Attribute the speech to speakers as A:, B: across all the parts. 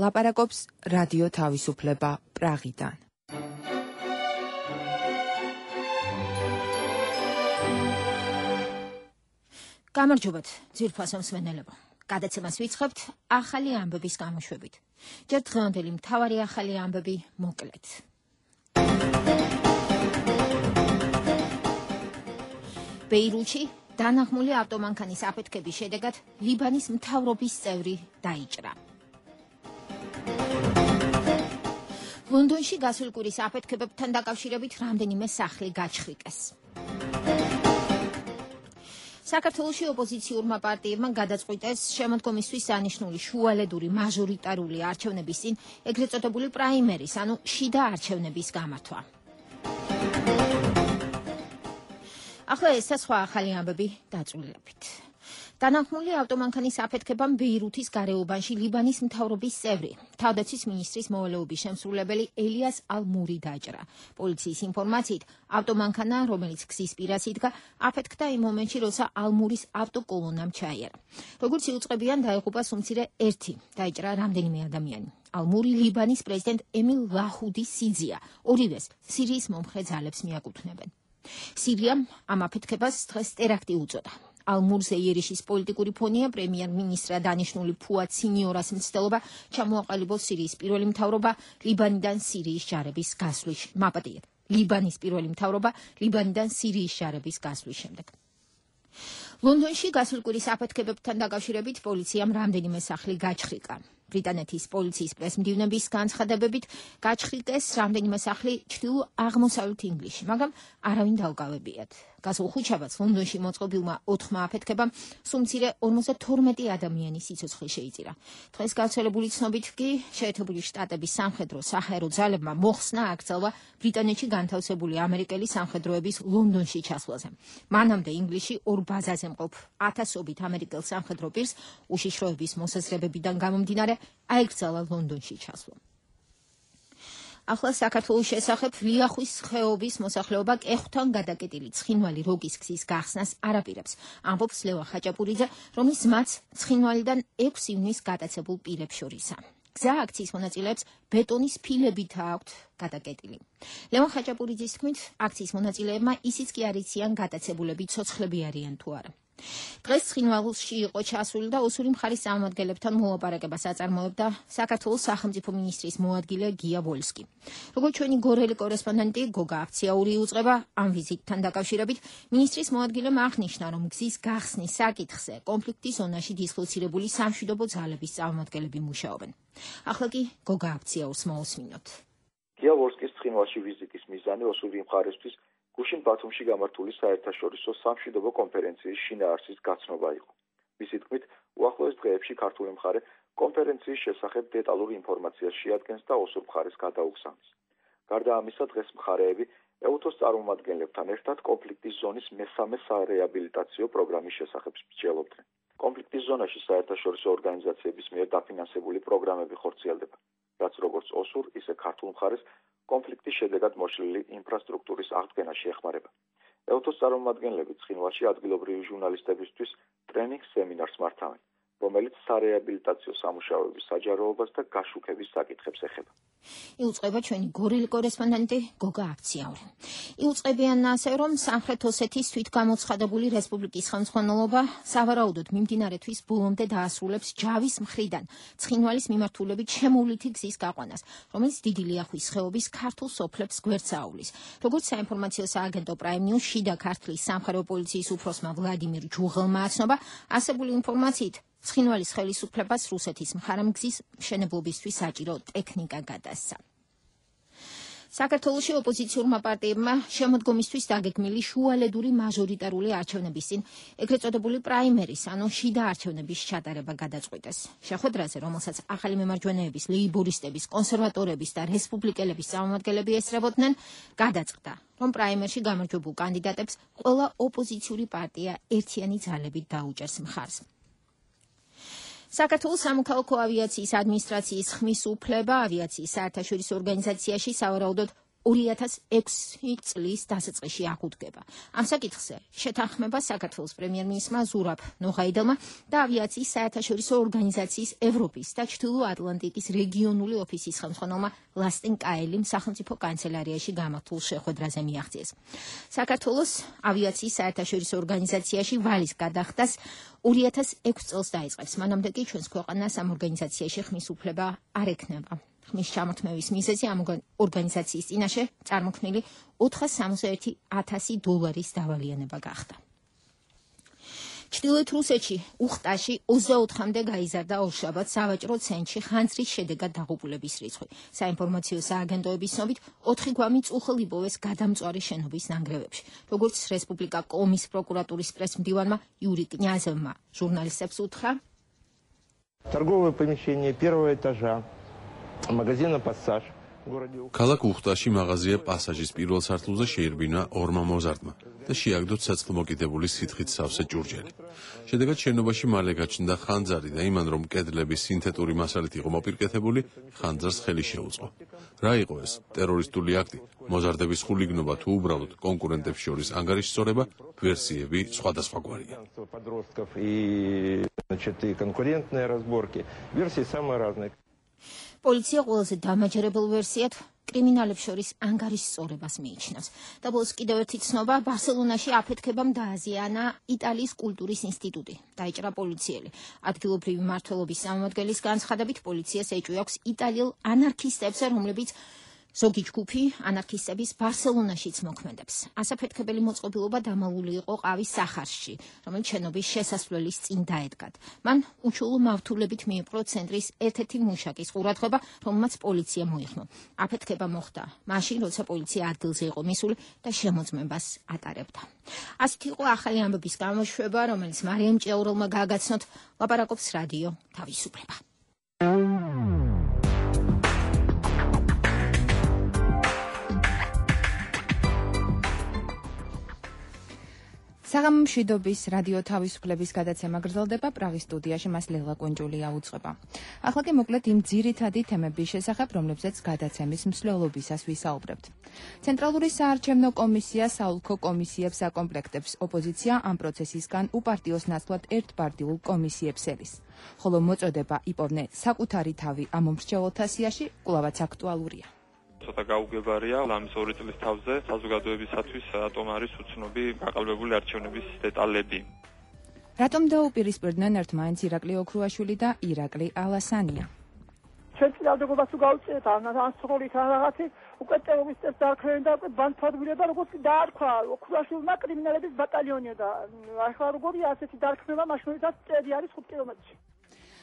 A: ლაპარაკობს რადიო თავისუფლება პრაღიდან.
B: გამარჯობათ, ძვირფასო მსმენელებო. გადაცემას ვიწყებთ ახალი ამბების გამოშვებით. ჯერ დღევანდელი მთავარი ახალი ამბები მოკლედ. ბეირუთში დანახმული ავტომანქანის აფეთქების შედეგად ლიბანის მთავრობის წევრი დაიჭრა. ლონდონში გასული კვირის აფეთქებებთან დაკავშირებით რამდენიმე სახლი გაჩხრიკეს. საქართველოში ოპოზიციურმა პარტიებმა გადაწყვიტეს შემოდგომისთვის დანიშნული შუალედური მაჟორიტარული არჩევნების წინ ეგრეთ წოდებული პრაიმერის, ანუ შიდა არჩევნების გამართვა. ახლა ეს სხვა ახალი ამბები დაწვრილებით. დანახმული ავტომანქანის აფეთქებამ ბეირუთის გარეუბანში ლიბანის მთავრობის წევრი, თავდაცვის მინისტრის მოვალეობის შემსრულებელი ელიას ალ-მური დაჭრა. პოლიციის ინფორმაციით, ავტომანქანა, რომელიც გზის პირას იდგა, აფეთქდა იმ მომენტში, როცა ალ-მურის ავტოკოლონამ ჩაიარა. როგორც იუწყებიან, დაიღუპა სუმცირე ერთი, დაიჭრა რამდენიმე ადამიანი. ალ-მური ლიბანის პრეზიდენტ ემილ ლაჰუდის სიძია, ორივეს სირიის მომხრე ძალებს მიაკუთვნებენ. სირიამ ამ აფეთქებას დღეს ტერაქტი უწოდა. ალ-მურზე იერიშის პოლიტიკური ფონია პრემიერ-მინისტრად დანიშნული ფუად სინიორას მცდელობა ჩამოაყალიბოს სირიის პირველი მთავრობა ლიბანიდან სირიის ჯარების გასვლის მაპატიეთ. ლიბანის პირველი მთავრობა ლიბანიდან სირიის ჯარების გასვლის შემდეგ. ლონდონში გასული კვირის აფეთქებებთან დაკავშირებით პოლიციამ რამდენიმე სახლი გაჩხრიკა. ბრიტანეთის პოლიციის პრესმდივნების განცხადებებით გაჩხრიკეს რამდენიმე სახლი ჩრდილო-აღმოსავლეთ ინგლისში, მაგრამ არავინ დაუკავებიათ. გასულ ხუთშაბათს ლონდონში მოწყობილმა 4 აფეთქებამ სუმცირე 52 ადამიანის სიცოცხლე შეიწირა. დღეს გავრცელებული ცნობით კი შეერთებული შტატების სამხედრო-საჰაერო ძალებმა მოხსნა აკრძალვა ბრიტანეთში განთავსებული ამერიკელი სამხედროების ლონდონში ჩასვლაზე. მანამდე ინგლისში 2 ბაზაზე მყოფ 1000-ობით ამერიკელ სამხედრო პირს უშიშროების მოსაზრებებიდან გამომდინარე აიკრძალა ლონდონში ჩასვლა. ახლა საქართველოს შესახებ ლიახვის ხეობის მოსახლეობა კეხვთან გადაკეტილი ცხინვალი როგის გზის გახსნას არაპირებს, ამბობს ლევან ხაჭაპურიძე, რომლის მაც ცხინვალიდან 6 ივნის გადაცებულ პირებს შორისაა. გზა აქციის მონაწილეებს ბეტონის ფილებითაა აქვთ გადაკეტილი. ლევან ხაჭაპურიძის თქმით, აქციის მონაწილეებმა ისიც კი არ იციან გადაცებულები ცოცხლები არიან თუ არა. დღეს ცხინვალში იყო ჩასული და ოსური მხარის წარმომადგენლებთან მოლაპარაკებას აწარმოებდა საქართველოს სახელმწიფო მინისტრის მოადგილე გია ვოლსკი. როგორც ჩვენი გორელი კორესპონდენტი გოგა აფციაური უწყება ამ ვიზიტთან დაკავშირებით, მინისტრის მოადგილემ აღნიშნა, რომ გზის გახსნის საკითხზე კონფლიქტის ზონაში დისლოცირებული სამშვიდობო ძალების წარმომადგენლები მუშაობენ. ახლა კი გოგა აფციაურს მოусმინოთ.
C: გია ვოლსკის ცხინვალში ვიზიტის მიზანი ოსური მხარისთვის გუშინ ბათუმში გამართული საერთაშორისო სამშვიდობო კონფერენციის შინაარსის გაცნობა იყო. მისი თქმით, უახლოეს დღეებში ქართული მხარე კონფერენციის შესახებ დეტალურ ინფორმაციას შეადგენს და ოსურ მხარეს გადაუგზავნის. გარდა ამისა, დღეს მხარეები ეუთოს წარმომადგენლებთან ერთად კონფლიქტის ზონის მესამე სარეაბილიტაციო პროგრამის შესახებ მსჯელობდნენ. კონფლიქტის ზონაში საერთაშორისო ორგანიზაციების მიერ დაფინანსებული პროგრამები ხორციელდება, რაც როგორც ოსურ, ისე ქართულ მხარეს კონფლიქტის შედეგად მოშლილი ინფრასტრუქტურის აღდგენაში ეხმარება. ეუთოს წარმომადგენლები ცხინვალში ადგილობრივი ჟურნალისტებისთვის ტრენინგ სემინარს მართავენ, რომელიც სარეაბილიტაციო სამუშაოების საჯაროებას და გაშუქების საკითხებს ეხება.
B: იუწყება ჩვენი გორელი კორესპონდენტი გოგა აფციაური. იუწყებიან ასე, რომ სამხრეთ ოსეთის თვითგამოცხადებული რესპუბლიკის ხელმძღვანელობა სავარაუდოდ მიმდინარე თვის ბოლომდე დაასრულებს ჯავის მხრიდან ცხინვალის მიმართულებით შემოვლითი გზის გაყვანას, რომელიც დიდი ლიახვის ხეობის ქართულ სოფლებს გვერდს აუვლის. როგორც საინფორმაციო სააგენტო Prime News შიდა ქართლის სამხედრო პოლიციის უფროსმა ვლადიმირ ჯუღელმა აცნობა, ასებული ინფორმაციით ცხინვალის ხელისუფლებას რუსეთის მხარემგზის მშენებლობისთვის საჭირო ტექნიკა გადასცა. საქართველოში ოპოზიციურმა პარტიებმა შემოდგომისთვის დაგეგმილი შუალედური მაჟორიტარული არჩევნების წინ ეგრეთ წოდებული პრაიმერის, ანუ შიდა არჩევნების ჩატარება გადაწყვიტეს. შეხვედრაზე, რომელსაც ახალი მემარჯვენეების, ლეიბორისტების, კონსერვატორების და რესპუბლიკელების წარმომადგენლები ესწრებოდნენ, გადაწყდა, რომ პრაიმერში გამარჯვებულ კანდიდატებს ყველა ოპოზიციური პარტია ერთიანი ძალებით დაუჭერს მხარს. საქართველოს სამოქალაქო ავიაციის ადმინისტრაციის ხმის უფლება ავიაციის საერთაშორისო ორგანიზაციაში სავარაუდოდ 2006 წლის დასაწყისში აღუდგება. ამ საკითხზე შეთანხმება საქართველოს პრემიერ-მინისტრმა ზურაბ ნოღაიდელმა და ავიაციის საერთაშორისო ორგანიზაციის ევროპის და ჩრდილო ატლანტიკის რეგიონული ოფისის ხელმძღვანელმა ლასტენ კაელიმ სახელმწიფო კანცელარიაში გამართულ შეხვედრაზე მიაღწიეს. საქართველოს ავიაციის საერთაშორისო ორგანიზაციაში ვალის გადახდას 2006 წელს დაიწყებს. მანამდე კი ჩვენს ქვეყანას ამ ორგანიზაციაში ხმის უფლება არ ექნება. ხმის ჩამოთმევის მიზეზი ამ ორგანიზაციის წინაშე წარმოქმნილი $461,000 დავალიანება გახდა. ჩრდილოეთ რუსეთში უხტაში 24-მდე გაიზარდა ორშაბათს სავაჭრო ცენტრში ხანძრის შედეგად დაღუპულების რიცხვი. საინფორმაციო სააგენტოების ცნობით 4 გვამი წუხელ იპოვეს გადამწვარი შენობის ნანგრევებში. როგორც რესპუბლიკა კომის პროკურატურის პრესმდივანმა იური კნიაზევმა ჟურნალისტებს უთხრა,
D: торговое помещение первого этажа магазина «Пассаж».
E: ქალაქ უხტაში მაღაზია პასაჟის პირველ სართულზე შეირბინა ორმა მოზარდმა და შეაგდო ცეცხლ მოკიდებული სითხით სავსე ჭურჭელი. შედეგად შენობაში მალე გაჩნდა ხანძარი და იმან რომ კედლები სინთეტური მასალით იყო მოპირკეთებული, ხანძარს ხელი შეუწყო. რა იყო ეს? ტერორისტული აქტი, მოზარდების ხულიგნობა თუ უბრალოდ კონკურენტებს შორის ანგარიშსწორება? ვერსიები სხვადასხვაგვარია.
B: პოლიცია ყველაზე დამაჯერებელ ვერსიად კრიმინალებს შორის ანგარიშსწორებას მიიჩნევს. და ბოლოს კიდევ ერთი ცნობა, ბარსელონაში აფეთქებამ დააზიანა იტალიის კულტურის ინსტიტუტი. დაიჭრა პოლიციელი. ადგილობრივი მმართველობის წარმომადგენლის განცხადებით, პოლიციას ეჭვი აქვს იტალიელ ანარქისტებზე, რომლებიც ზოგი ჯგუფი ანარქისტების ბარსელონაშიც მოქმედებს. ასაფეთქებელი მოწყობილობა დამალული იყო ყავის სახარში, რომელიც შენობის შესასვლელის წინ დაედგათ. მან უჩვეულო მავთულებით მიიპყრო ცენტრის ერთ-ერთი მუშაკის ყურადღება, რომელმაც პოლიცია მოიხმო. აფეთქება მოხდა მაშინ, როცა პოლიცია ადგილზე იყო მისული და შემოწმებას ატარებდა. ასეთი იყო ახალი ამბების გამოშვება, რომელიც მარიამ ჭეურელმა გააგაცნოთ. ლაპარაკობს რადიო თავისუფლება.
A: საღამო მშვიდობის რადიო თავისუფლების გადაცემა გრძელდება პრაღის სტუდიაში, მას ლელა კუნჯულია უძღვება. ახლა კი მოკლედ იმ ძირითადი თემების შესახებ, რომლებზეც გადაცემის მსვლელობისას ვისაუბრებთ. ცენტრალური საარჩევნო კომისია საოლქო კომისიებს აკომპლექტებს. ოპოზიცია ამ პროცესისგან უპარტიოს ნაცვლად ერთპარტიულ კომისიებს ელის. ხოლო მოწოდება იპოვნე საკუთარი თავი ამ მომრჩეველთა სიაში კვლავაც აქტუალურია.
F: ცოტა გაუგებარია ლამის 2 წლის თავზე საზოგადოებისათვის ატომარის უცნობი გაყალბებული არჩევნების დეტალები.
A: რატომ დაუპირისპირდნენ ერთმანეთს ირაკლი ოქრუაშვილი და ირაკლი ალასანია?
G: ჩვენ წინააღმდეგობას თუ გავუწიეთ ან სროლით რაღაცი უკვე ტერორისტებს დაარქვენ და უკვე ბანთვადგილება როგორც დაარქვა ოქრუაშვილმა კრიმინალების ბატალიონია და ახლა როგორია ასეთი დარქმევა მაშინაც წელი არის 5 კილომეტრში.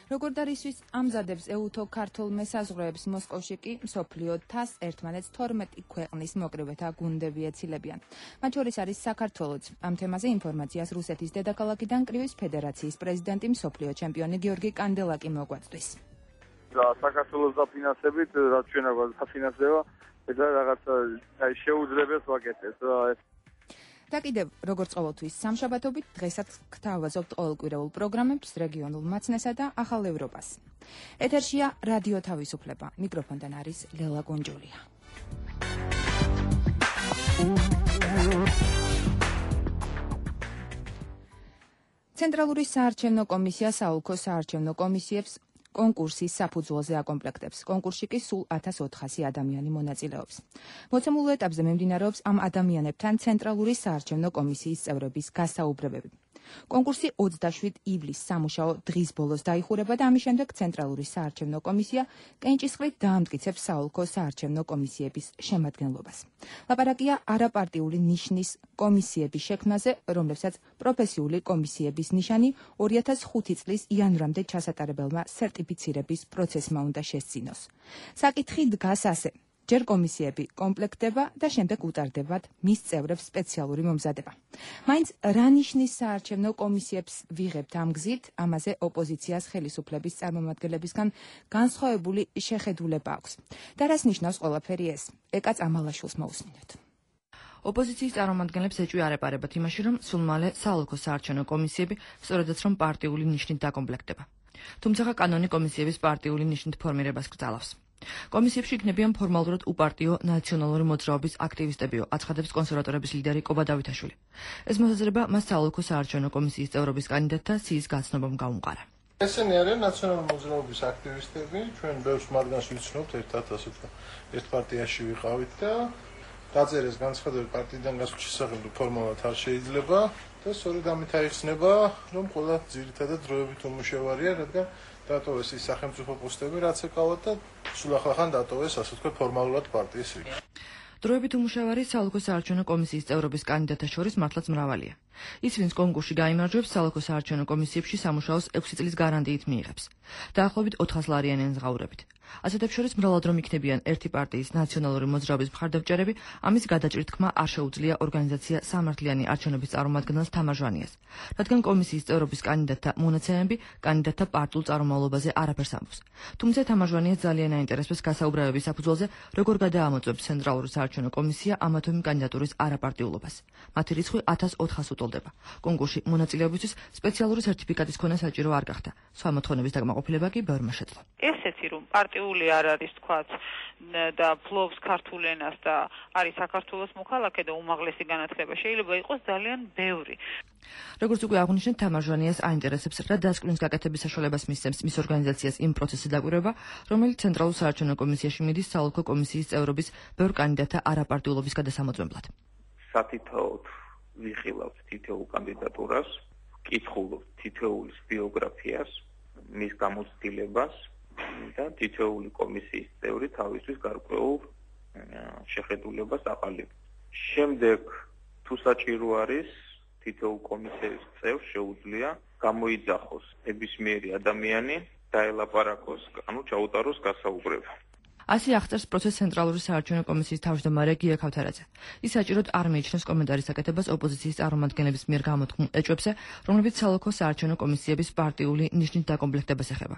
A: როგორ დარისთვის ამზადებს ეუთო ქართულ მესაზღვრეებს მოსკოვში კი მსოფლიო თასს ერთმანეთს 12 ქვეყნის მოკრივეთა გუნდები ეცილებიან. მათ შორის არის საქართველოც. ამ თემაზე ინფორმაციას რუსეთის დედაქალაქიდან კრივის ფედერაციის პრეზიდენტი მსოფლიო ჩემპიონი გიორგი კანდელაკი მოგვაწვდის.
H: საქართველოს დაფინანსებით, რაც ჩვენ აგვაქვს დაფინანსება, ეს რაღაცა შეუძლებელს ვაკეთებს.
A: და კიდევ, როგორც ყოველთვის სამშაბათობით, დღესაც გთავაზობთ ყოველკვირეულ პროგრამებს, რეგიონულ მაცნესა და ახალ ევროპას. ეთერშია რადიო თავისუფლება. მიკროფონთან არის ლელა კუნჯულია. ცენტრალური საარჩევნო კომისია საოლქო საარჩევნო კომისიებს კონკურსის საფუძველზე აკომპლექტებს. კონკურსში კი სულ 1400 ადამიანი მონაწილეობს. მოცემულ ეტაპზე მიმდინარეობს ამ ადამიანებთან ცენტრალური საარჩევნო კომისიის წევრების გასაუბრებები. კონკურსი 27 ივლისს სამუშაო დღის ბოლოს დაიხურება და ამის შემდეგ ცენტრალური საარჩევნო კომისია კენჭისყრით დაამტკიცებს საოლქო საარჩევნო კომისიების შემადგენლობას. ლაპარაკია არაპარტიული ნიშნის კომისიების შექმნაზე, რომლებსაც პროფესიული კომისიების ნიშანი 2005 წლის იანვრამდე ჩასატარებელმა სერტიფიცირების პროცესმა უნდა შესწინოს. საკითხი დგას ასე: ჯერ კომისიები კომპლექტდება და შემდეგ უტარდებათ მის წევრებს სპეციალური მომზადება. მაინც რა ნიშნის საარჩევნო კომისიებს ვიღებთ ამ გზით, ამაზე ოპოზიციას ხელისუფლების წარმომადგენლებისგან განსხვავებული შეხედულება აქვს. და რას ნიშნავს ყველაფერი ეს? ეკაც ამალაშვილს მოусმინოთ.
I: ოპოზიციის წარმომადგენლებს ეჭვი არ ეპარებათ იმაში, რომ სულ მალე საოლქო საარჩევნო კომისიები სწორედაც რომ პარტიული ნიშნით დაკომპლექტდება. თუმცა კანონი კომისიების პარტიული ნიშნით ფორმირებას კრძალავს. კომისიებში იქნებიან ფორმალურად უპარტიო ნაციონალური მოძრაობის აქტივისტებიო, აცხადებს კონსერვატორების ლიდერი კობა დავითაშვილი. ეს მოსაზრება მას საოლქო საარჩევნო კომისიის წევრობის კანდიდატთა სიის გაცნობამ გაუმყარა.
J: ესენი არიან ნაციონალური მოძრაობის აქტივისტები, ჩვენ ბევრს მათგანს ვიცნობთ, ერთად ასე ვთქვა, ერთ პარტიაში ვიყავით და დაწერეს განცხადები პარტიიდან გასვლის შესახებ ფორმალურად არ შეიძლება და სწორედ ამით აიხსნება, რომ ყველა ძირითადად დროებით უმუშევარია, რადგან დატოვეს ის სახელმწიფო პოსტები, რაც ეკავათ და სულ ახლახან დატოვეს, ასე ვთქვათ, ფორმალურად პარტიის რიგი.
I: დროებით უმუშევარი საოლქო საარჩევნო კომისიის წევრობის კანდიდატთა შორის მართლაც მრავალია. ის, ვინც კონკურსში გაიმარჯვებს, საოლქო საარჩევნო კომისიებში სამუშაოს 6 წლის გარანტიით მიიღებს. დაახლოებით 400 ლარიანი ენზღაურებით. ასეთებს შორის მრავლად რომ იქნებიან ერთი პარტიის ნაციონალური მოძრაობის მხარდამჭერები, ამის გადაჭრით თქმა არ შეუძლია ორგანიზაცია სამართლიანი არჩევნების წარმომადგენელს თამარჟვანიას, რადგან კომისიის წევრობის კანდიდატთა მონაცემები კანდიდატთა პარტიულ წარმომავლობაზე არაფერს ამბობს. თუმცა თამარჟვანიას ძალიან აინტერესებს გასაუბრებების საფუძველზე, როგორ გადაამოწმებს ცენტრალური საარჩევნო კომისია ამა თუ იმ კანდიდატურის არაპარტიულობას. მათი რიცხვი 1400 უტოლდება. კონკურსში მონაწილეობისთვის სპეციალური სერტიფიკატის ქონა საჭირო არ გახდა. სხვა მოთხოვნების დაკმაყოფილება კი ბევრმა შეძლო.
K: ესეთი რომ პარტიული არ არის თქვაც და ფლობს ქართულ ენას და არის საქართველოს მოქალაქე და უმაღლესი განათლება შეიძლება იყოს ძალიან ბევრი.
I: როგორც უკვე აღვნიშნეთ, თამარჟვანიას აინტერესებს რა დასკვნით გაკეთების საშუალებას მისცემს მის ორგანიზაციას იმ პროცესის დაკვირვება, რომელიც ცენტრალურ საარჩევნო კომისიაში მიდის საოლქო კომისიის წევრობის ბევრ კანდიდატთა არაპარტიულობის გადასამოწმებლად.
L: სათითაოდ ვიხილავთ თითოეულ კანდიდატურას, ვკითხულობთ თითოეულის ბიოგრაფიას, მის გამოცდილებას და თითოეული კომისიის წევრი თავისთვის გარკვეულ შეხედულებას აყალიბებს. შემდეგ თუ საჭირო არის, თითოეულ კომისიის წევრს შეუძლია გამოიძახოს ნებისმიერი ადამიანი დაელაპარაკოს, ანუ ჩაუტაროს გასაუბრება.
I: ასე აღწერს პროცესს ცენტრალური საარჩევნო კომისიის თავმჯდომარე გია ქავთარაძე. ის საჭიროდ არ მიიჩნევს კომენტარის აკეთებას ოპოზიციის წარმომადგენლების მიერ გამოთქმულ ეჭვებზე, რომლებიც საოლქო საარჩევნო კომისიების პარტიული ნიშნით დაკომპლექტებას ეხება.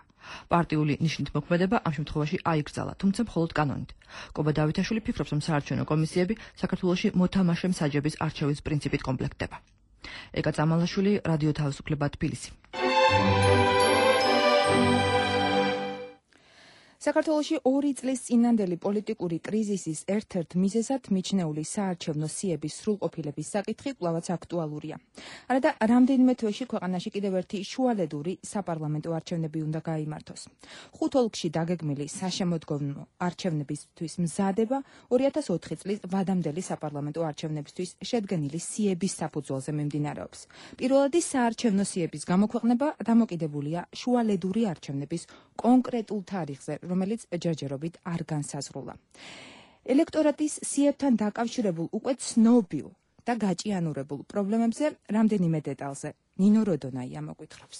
I: პარტიული ნიშნით მოქმედება ამ შემთხვევაში აიგრძალა, თუმცა მხოლოდ კანონით. კობა დავითაშვილი ფიქრობს, რომ საარჩევნო კომისიები საქართველოში მოთამაშე მსაჯების არჩევის პრინციპით კომპლექტდება. ეკა წამალაშვილი, რადიო თავისუფლება, თბილისი.
A: საქართველოში 2 წლის წინანდელი პოლიტიკური კრიზისის ერთ-ერთ მიზეზად მიჩნეული საარჩევნო სიების სრულყოფილების საკითხი კვლავაც აქტუალურია. არადა რამდენიმე თვეში ქვეყანაში კიდევ ერთი შუალედური საპარლამენტო არჩევნები უნდა გაიმართოს. 5 ოლქში დაგეგმილი საშემოდგომო არჩევნებისთვის მზადება 2004 წლის ვადამდელი საპარლამენტო არჩევნებისთვის შედგენილი სიების საფუძველზე მიმდინარეობს. პირველადი საარჩევნო სიების გამოქვეყნება დამოკიდებულია შუალედური არჩევნების კონკრეტულ თარიღზე, რომელიც ჯერჯერობით არ განსაზღვრულა. ელექტორატის სიებთან დაკავშირებულ უკვე ცნობილ და გაჭიანურებულ პრობლემებზე რამდენიმე დეტალზე ნინო როდონაია მოგვითხრობს.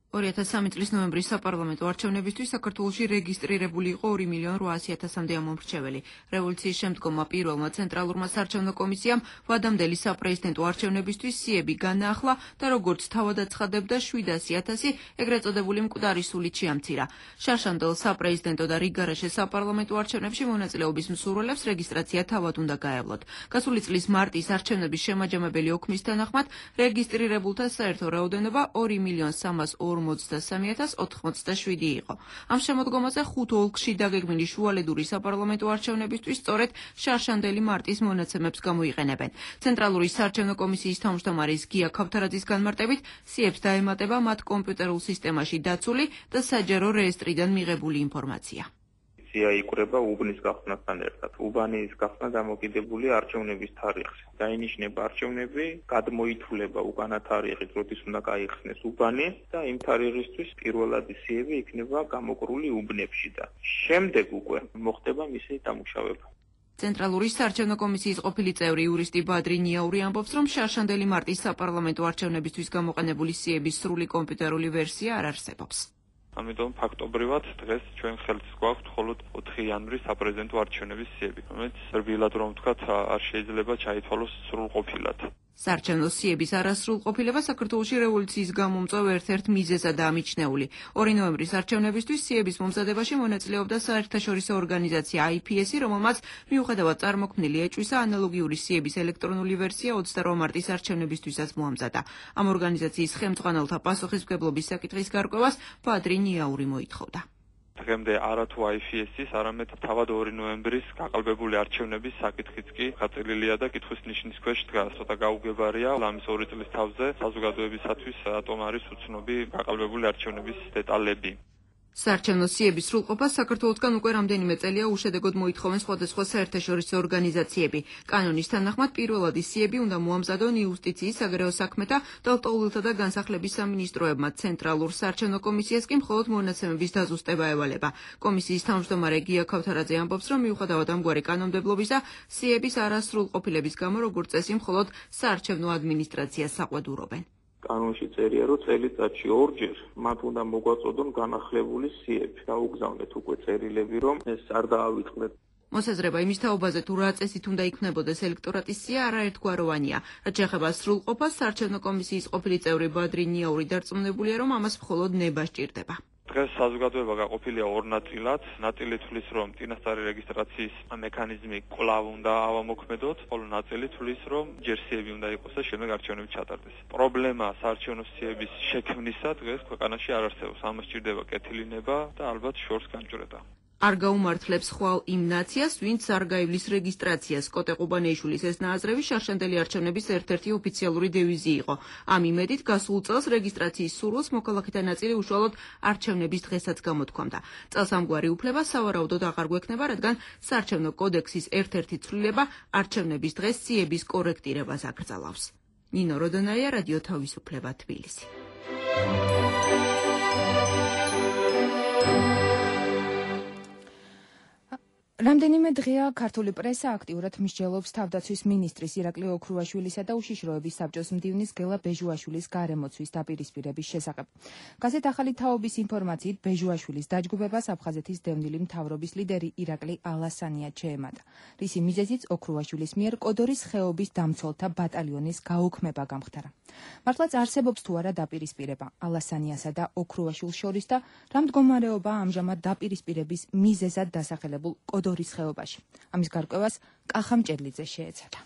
M: 2003 წლის ნოემბრის საპარლამენტო არჩევნებისთვის საქართველოში რეგისტრირებული იყო 2.800.000-მდე ამომრჩეველი. რევოლუციის შემდგომმა პირველმა ცენტრალურმა საარჩევნო კომისიამ ვადამდელი საპრეზიდენტო არჩევნებისთვის სიები განაახლა და როგორც თავად აცხადებდა 700.000 ეგრეთ წოდებული მკვდარი სულით შეამცირა. შარშანდელ საპრეზიდენტო და რიგგარეშე საპარლამენტო არჩევნებში მონაწილეობის მსურველებს რეგისტრაცია თავად უნდა გაევლოთ. გასული წლის მარტის არჩევნების შემაჯამებელი ოქმის თანახმად რეგისტრირებულთა საერთო რაოდენობა 2.383.087 იყო. ამ შემოდგომაზე 5 ოლქში დაგეგმილი შუალედური საპარლამენტო არჩევნებისთვის სწორედ შარშანდელი მარტის მონაცემებს გამოიყენებენ. ცენტრალური საარჩევნო კომისიის თავმჯდომარის გია ქავთარაძის განმარტებით, სიებს დაემატება მათ კომპიუტერულ სისტემაში დაცული და საჯარო რეესტრიდან მიღებული ინფორმაცია.
L: იკვრება უბნის გახსნასთან ერთად. უბანის გახსნა დამოკიდებულია არჩევნების თარიღზე. დაინიშნება არჩევნები, გადმოითვლება უკანა თარიღით, როდის უნდა გაიხსნეს უბანი და იმ თარიღისთვის პირველადი სიები იქნება გამოკრული უბნებში და შემდეგ უკვე მოხდება მისი დამუშავება.
M: ცენტრალური საარჩევნო კომისიის ყოფილი წევრი იურისტი ბადრი ნიაური ამბობს, რომ შარშანდელი მარტის საპარლამენტო არჩევნებისთვის გამოყენებული სიების სრული კომპიუტერული ვერსია არ არსებობს.
F: ამიტომ ფაქტობრივად დღეს ჩვენ ხელთ გვაქვს მხოლოდ 4 იანვრის საპრეზიდენტო არჩევნების სიები, რომელიც რბილად რომ ვთქვათ, არ შეიძლება ჩაითვალოს სრულყოფილად.
M: საარჩევნო სიების არასრულყოფილება საქართველოში რევოლუციის გამომწვევ ერთ-ერთ მიზეზადაა მიჩნეული. 2 ნოემბრის არჩევნებისთვის სიების მომზადებაში მონაწილეობდა საერთაშორისო ორგანიზაცია IPS, რომელმაც მიუხედავად წარმოქმნილი ეჭვისა, ანალოგიური სიების ელექტრონული ვერსია 28 მარტის არჩევნებისთვისაც მოამზადა. ამ ორგანიზაციის ხელმძღვანელთა პასუხისმგებლობის საკითხის გარკვევას ბადრი ნიაური მოითხოვდა.
F: დღემდე არათუ IFS-ის, არამედ თავად 2 ნოემბრის გაყალბებული არჩევნების საკითხიც კი გაწილილია და კითხვის ნიშნის ქვეშ დგას. ცოტა გაუგებარია ამის 2 წლის თავზე საზოგადოებისათვის რატომ არის უცნობი გაყალბებული არჩევნების დეტალები.
M: საარჩევნო სიების სრულყოფას საქართველოსგან უკვე რამდენიმე წელია უშედეგოდ მოითხოვენ სხვადასხვა საერთაშორისო ორგანიზაციები. კანონის თანახმად პირველად ის სიები უნდა მოამზადონ იუსტიციის, საგარეო საქმეთა და ლტოლვილთა და განსახლების სამინისტროებმა. ცენტრალურ საარჩევნო კომისიას კი მხოლოდ მონაცემების დაზუსტება ევალება. კომისიის თავმჯდომარე გია ქავთარაძე ამბობს, რომ მიუხედავად ამგვარი კანონმდებლობისა, სიების არასრულყოფილების გამო როგორც წესი მხოლოდ საარჩევნო ადმინისტრაციას საყვედურობენ.
L: კანონში წერია, რომ წელიწადში 2-ჯერ მათ უნდა მოგვაწოდონ განახლებული სიები. დაუგზავნეთ უკვე წერილები, რომ ეს არ დაავიწყდეთ.
M: მოსაზრება იმის თაობაზე, თუ რა წესით უნდა იქნებოდეს ელექტორატის სია, არაერთგვაროვანია. რაც შეეხება სრულყოფას, საარჩევნო კომისიის ყოფილი წევრი ბადრი ნიაური დარწმუნებულია, რომ ამას მხოლოდ ნება სჭირდება.
F: დღეს საზოგადოება გაყოფილია 2 ნაწილად. ნაწილი თვლის, რომ წინასწარი რეგისტრაციის მექანიზმი კვლავ უნდა ავამოქმედოთ, ხოლო ნაწილი თვლის, რომ ჯერ სიები უნდა იყოს და შემდეგ არჩევნები ჩატარდეს. პრობლემა საარჩევნო სიების შექმნისა დღეს ქვეყანაში არ არსებობს. ამას სჭირდება კეთილი ნება და ალბათ შორს განჭვრეტა.
M: არ გაუმართლებს ხვალ იმ ნაციას, ვინც არ გაივლის რეგისტრაციას. კოტე ყუბანეიშვილის ეს ნააზრევი შარშანდელი არჩევნების ერთ-ერთი ოფიციალური დევიზი იყო. ამ იმედით გასულ წელს რეგისტრაციის სურვილს მოქალაქეთა ნაწილი უშუალოდ არჩევნების დღესაც გამოთქვამდა. წელს ამგვარი უფლება სავარაუდოდ აღარ გვექნება, რადგან საარჩევნო კოდექსის ერთ-ერთი ცვლილება არჩევნების დღეს სიების კორექტირებას აკრძალავს. ნინო როდონაია, რადიო თავისუფლება, თბილისი.
A: რამდენიმე დღეა ქართული პრესა აქტიურად მსჯელობს თავდაცვის მინისტრის ირაკლი ოქრუაშვილისა და უშიშროების საბჭოს მდივნის გელა ბეჟუაშვილის გარემოცვის დაპირისპირების შესახებ. გაზეთ ახალი თაობის ინფორმაციით, ბეჟუაშვილის დაჯგუფებას აფხაზეთის დევნილი მთავრობის ლიდერი ირაკლი ალასანია შეემატა. რისი მიზეზიც ოქრუაშვილის მიერ კოდორის ხეობის დამცველთა ბატალიონის გაუქმება გამხდარა. მართლაც არსებობს თუ არა დაპირისპირება ალასანიასა და ოქრუაშვილს შორის და რა მდგომარეობა ამჟამად დაპირისპირების მიზეზად დასახელებულ კოდორის ხეობაში. ამის გარკვევას კახამ ჭერლიძე შეეცადა.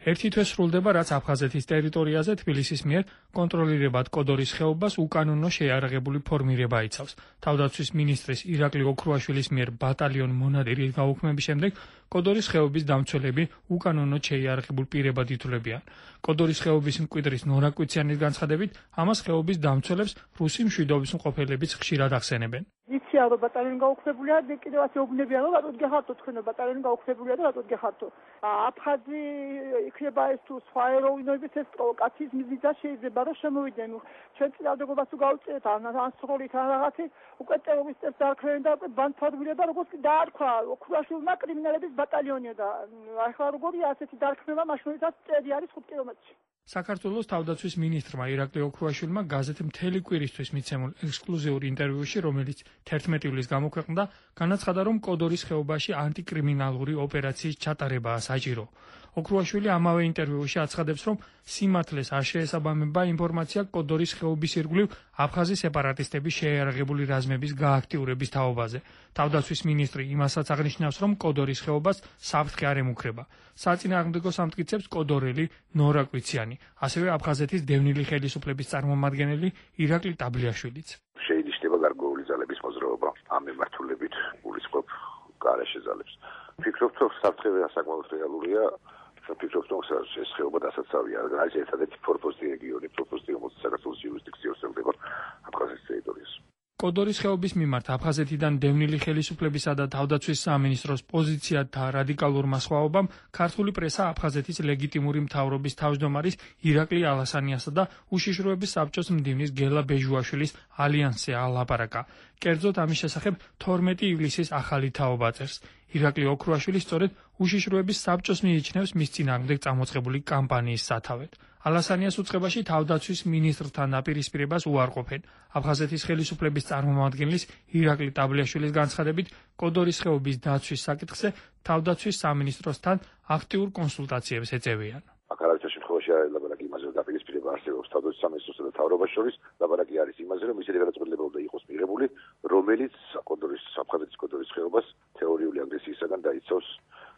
N: ერთი თვე სრულდება, რაც აფხაზეთის ტერიტორიაზე თბილისის მიერ კონტროლირებად კოდორის ხეობას უკანონო შეიარაღებული ფორმირება იცავს. თავდაცვის მინისტრის ირაკლი ოქრუაშვილის მიერ ბატალიონ მონადირის გაუქმების შემდეგ კოდორის ხეობის დამცველები უკანონოდ შეიარაღებულ პირებად ითვლებიან. კოდორის ხეობის მკვიდრის ნორა კვიციანის განცხადებით, ამას ხეობის დამცველებს რუსი მშვიდობის მყოფელებიც ხშირად ახსენებენ.
G: იციან რომ ბატალიონი გაუქმებულია და კიდევ ასე უბნებიან რომ რატო გეხართო თქვენ ბატალიონი გაუქმებულია და რატო გეხართო აფხაზი იქნება ეს თუ სხვა ეროვნების ეს პროვოკაციის მიზეზად შეიძლება რომ შემოვიდნენ ჩვენ წინააღმდეგობას თუ გავუწიეთ ან სროლით ან რაღაცი უკვე ტერორისტებს დაარქვენ და უკვე ბანთვადგურია და როგორც დაარქვა ოქრუაშვილმა კრიმინალების ბატალიონია და ახლა როგორია ასეთი დაარქმევა მაშინაც წელი არის 5 კილომეტრში.
N: საქართველოს თავდაცვის მინისტრმა ირაკლი ოქრუაშვილმა გაზეთ მთელი კვირისთვის მიცემულ ექსკლუზიურ ინტერვიუში, რომელიც 11 ივლისს გამოქვეყნდა, განაცხადა, რომ კოდორის ხეობაში ანტიკრიმინალური ოპერაციის ჩატარებაა საჭირო. ოქრუაშვილი ამავე ინტერვიუში აცხადებს, რომ სიმართლეს არ შეესაბამება ინფორმაცია კოდორის ხეობის ირგვლივ აფხაზი სეპარატისტების შეიარაღებული რაზმების გააქტიურების თაობაზე. თავდაცვის მინისტრი იმასაც აღნიშნავს, რომ კოდორის ხეობას საფრთხე არ ემუქრება. საწინააღმდეგო სამტკიცებს კოდორელი ნორა კვიციანი, ასევე აფხაზეთის დევნილი ხელისუფლების წარმომადგენელი ირაკლი ტაბლიაშვილიც.
O: შეინიშნება გარკვეული ძალების მოძრაობა ამ მიმართულებით გულისხმობ გარეშე ძალებს. ვფიქრობ, რომ საფრთხე საკმაოდ რეალურია. ვფიქრობ, რომ ეს ხეობა დასაცავია, რადგან არის ერთადერთი ფორპოსტი რეგიონი, რომელიც საქართველოს იურისდიქციას ეხება აფხაზეთის ტერიტორიას.
N: კოდორის ხეობის მიმართ აფხაზეთიდან დევნილი ხელისუფლებისა და თავდაცვის სამინისტროს პოზიციათა რადიკალურმა სხვაობამ ქართული პრესა აფხაზეთის ლეგიტიმური მთავრობის თავმჯდომარის ირაკლი ალასანიასა და უშიშროების საბჭოს მდივნის გელა ბეჟუაშვილის ალიანსზე ალაპარაკა. კერძოდ ამის შესახებ 12 ივლისის ახალი თაობა წერს. ირაკლი ოქრუაშვილი სწორედ უშიშროების საბჭოს მიიჩნევს მის წინააღმდეგ წამოწყებული კამპანიის სათავედ. ალასანიას უწყებაში თავდაცვის მინისტრთან დაპირისპირებას უარყოფენ. აფხაზეთის ხელისუფლების წარმომადგენლის ირაკლი ტაბლიაშვილის განცხადებით, კოდორის ხეობის დაცვის საკითხზე თავდაცვის სამინისტროსთან აქტიურ კონსულტაციებს ეწევიან.
O: აქ არავითარ შემთხვევაში არ ლაპარაკი იმაზე, რომ დაპირისპირება არსებობს თავდაცვის სამინისტროსა და მთავრობას შორის, ლაპარაკი არის იმაზე, რომ ისეთი გადაწყვეტილება უნდა იყოს მიღებული, რომელიც აფხაზეთის კოდორის ხეობას თეორიული აგრესიისაგან დაიცავს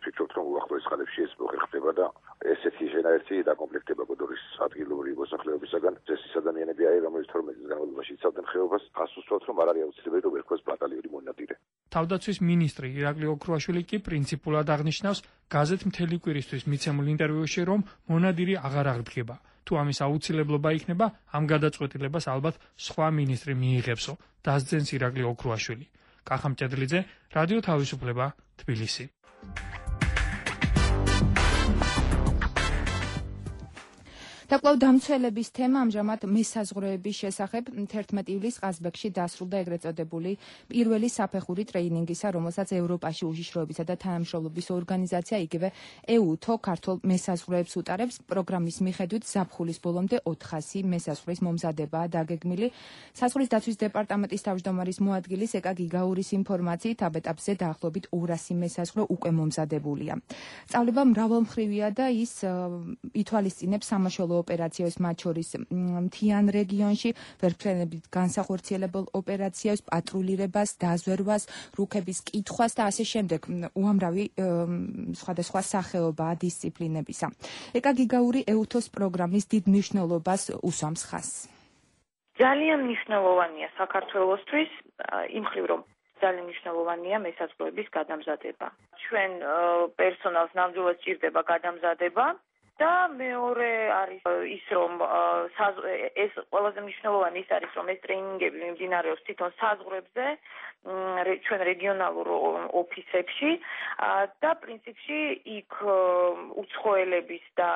O: ვფიქრობთ, რომ უახლოეს ხანებში ეს მოხერხდება და ესეთი შენაერთი დაკომპლექტება გოდორის ადგილობრივი მოსახლეობისაგან წესის ადამიანები არის, რომელიც 12 წლის განმავლობაში იცავდნენ ხეობას, ასუსტოთ, რომ არ არის აუცილებელი, რომ ერქოს ბატალიონი მონადირე.
N: თავდაცვის მინისტრი ირაკლი ოქრუაშვილი კი პრინციპულად აღნიშნავს გაზეთ მთელი კვირისთვის მიცემულ ინტერვიუში, რომ მონადირი აღარ აღდგება. თუ ამის აუცილებლობა იქნება, ამ გადაწყვეტილებას ალბათ სხვა მინისტრი მიიღებსო, დასძენს ირაკლი ოქრუაშვილი. კახა მჭედლიძე, რადიო თავისუფლება, თბილისი.
A: დაკვლავ დამცველების თემა ამჟამად მესაზღვრეების შესახებ 11 ივლისს ყაზბეგში დასრულდა ეგრეთ წოდებული პირველი საფეხური ტრეინინგისა, რომელსაც ევროპაში უშიშროებისა და თანამშრომლობის ორგანიზაცია იგივე EUTO ქართულ მესაზღვრეებს უტარებს. პროგრამის მიხედვით ზაფხულის ბოლომდე 400 მესაზღვრის მომზადებაა დაგეგმილი. საზღვრის დაცვის დეპარტამენტის თავმჯდომარის მოადგილის ეკა გიგაურის ინფორმაციით ამ ეტაპზე დაახლოებით 200 მესაზღვრე უკვე მომზადებულია. სწავლება მრავალმხრივია და ის ითვალისწინებს სამაშველო ოპერაციებს, მათ შორის მთიან რეგიონში, ვერტმფრენებით განსახორციელებელ ოპერაციებს, პატრულირებას, დაზვერვას, რუქების კითხვას და ასე შემდეგ. უამრავი სხვადასხვა სახეობაა დისციპლინებისა. ეკა გიგაური EUTO-s პროგრამის დიდ მნიშვნელობას უსვამს ხაზს.
P: ძალიან მნიშვნელოვანია საქართველოსთვის, იმ მხრივ რომ ძალიან მნიშვნელოვანია მესაზღვრეების გადამზადება. ჩვენ პერსონალს ნამდვილად სჭირდება გადამზადება. და მეორე არის ის, რომ ეს ყველაზე მნიშვნელოვანი ის არის, რომ ეს ტრეინინგები მიმდინარეობს თვითონ საზღვრებზე, ჩვენ რეგიონალურ ოფისებში და პრინციპში იქ უცხოელების და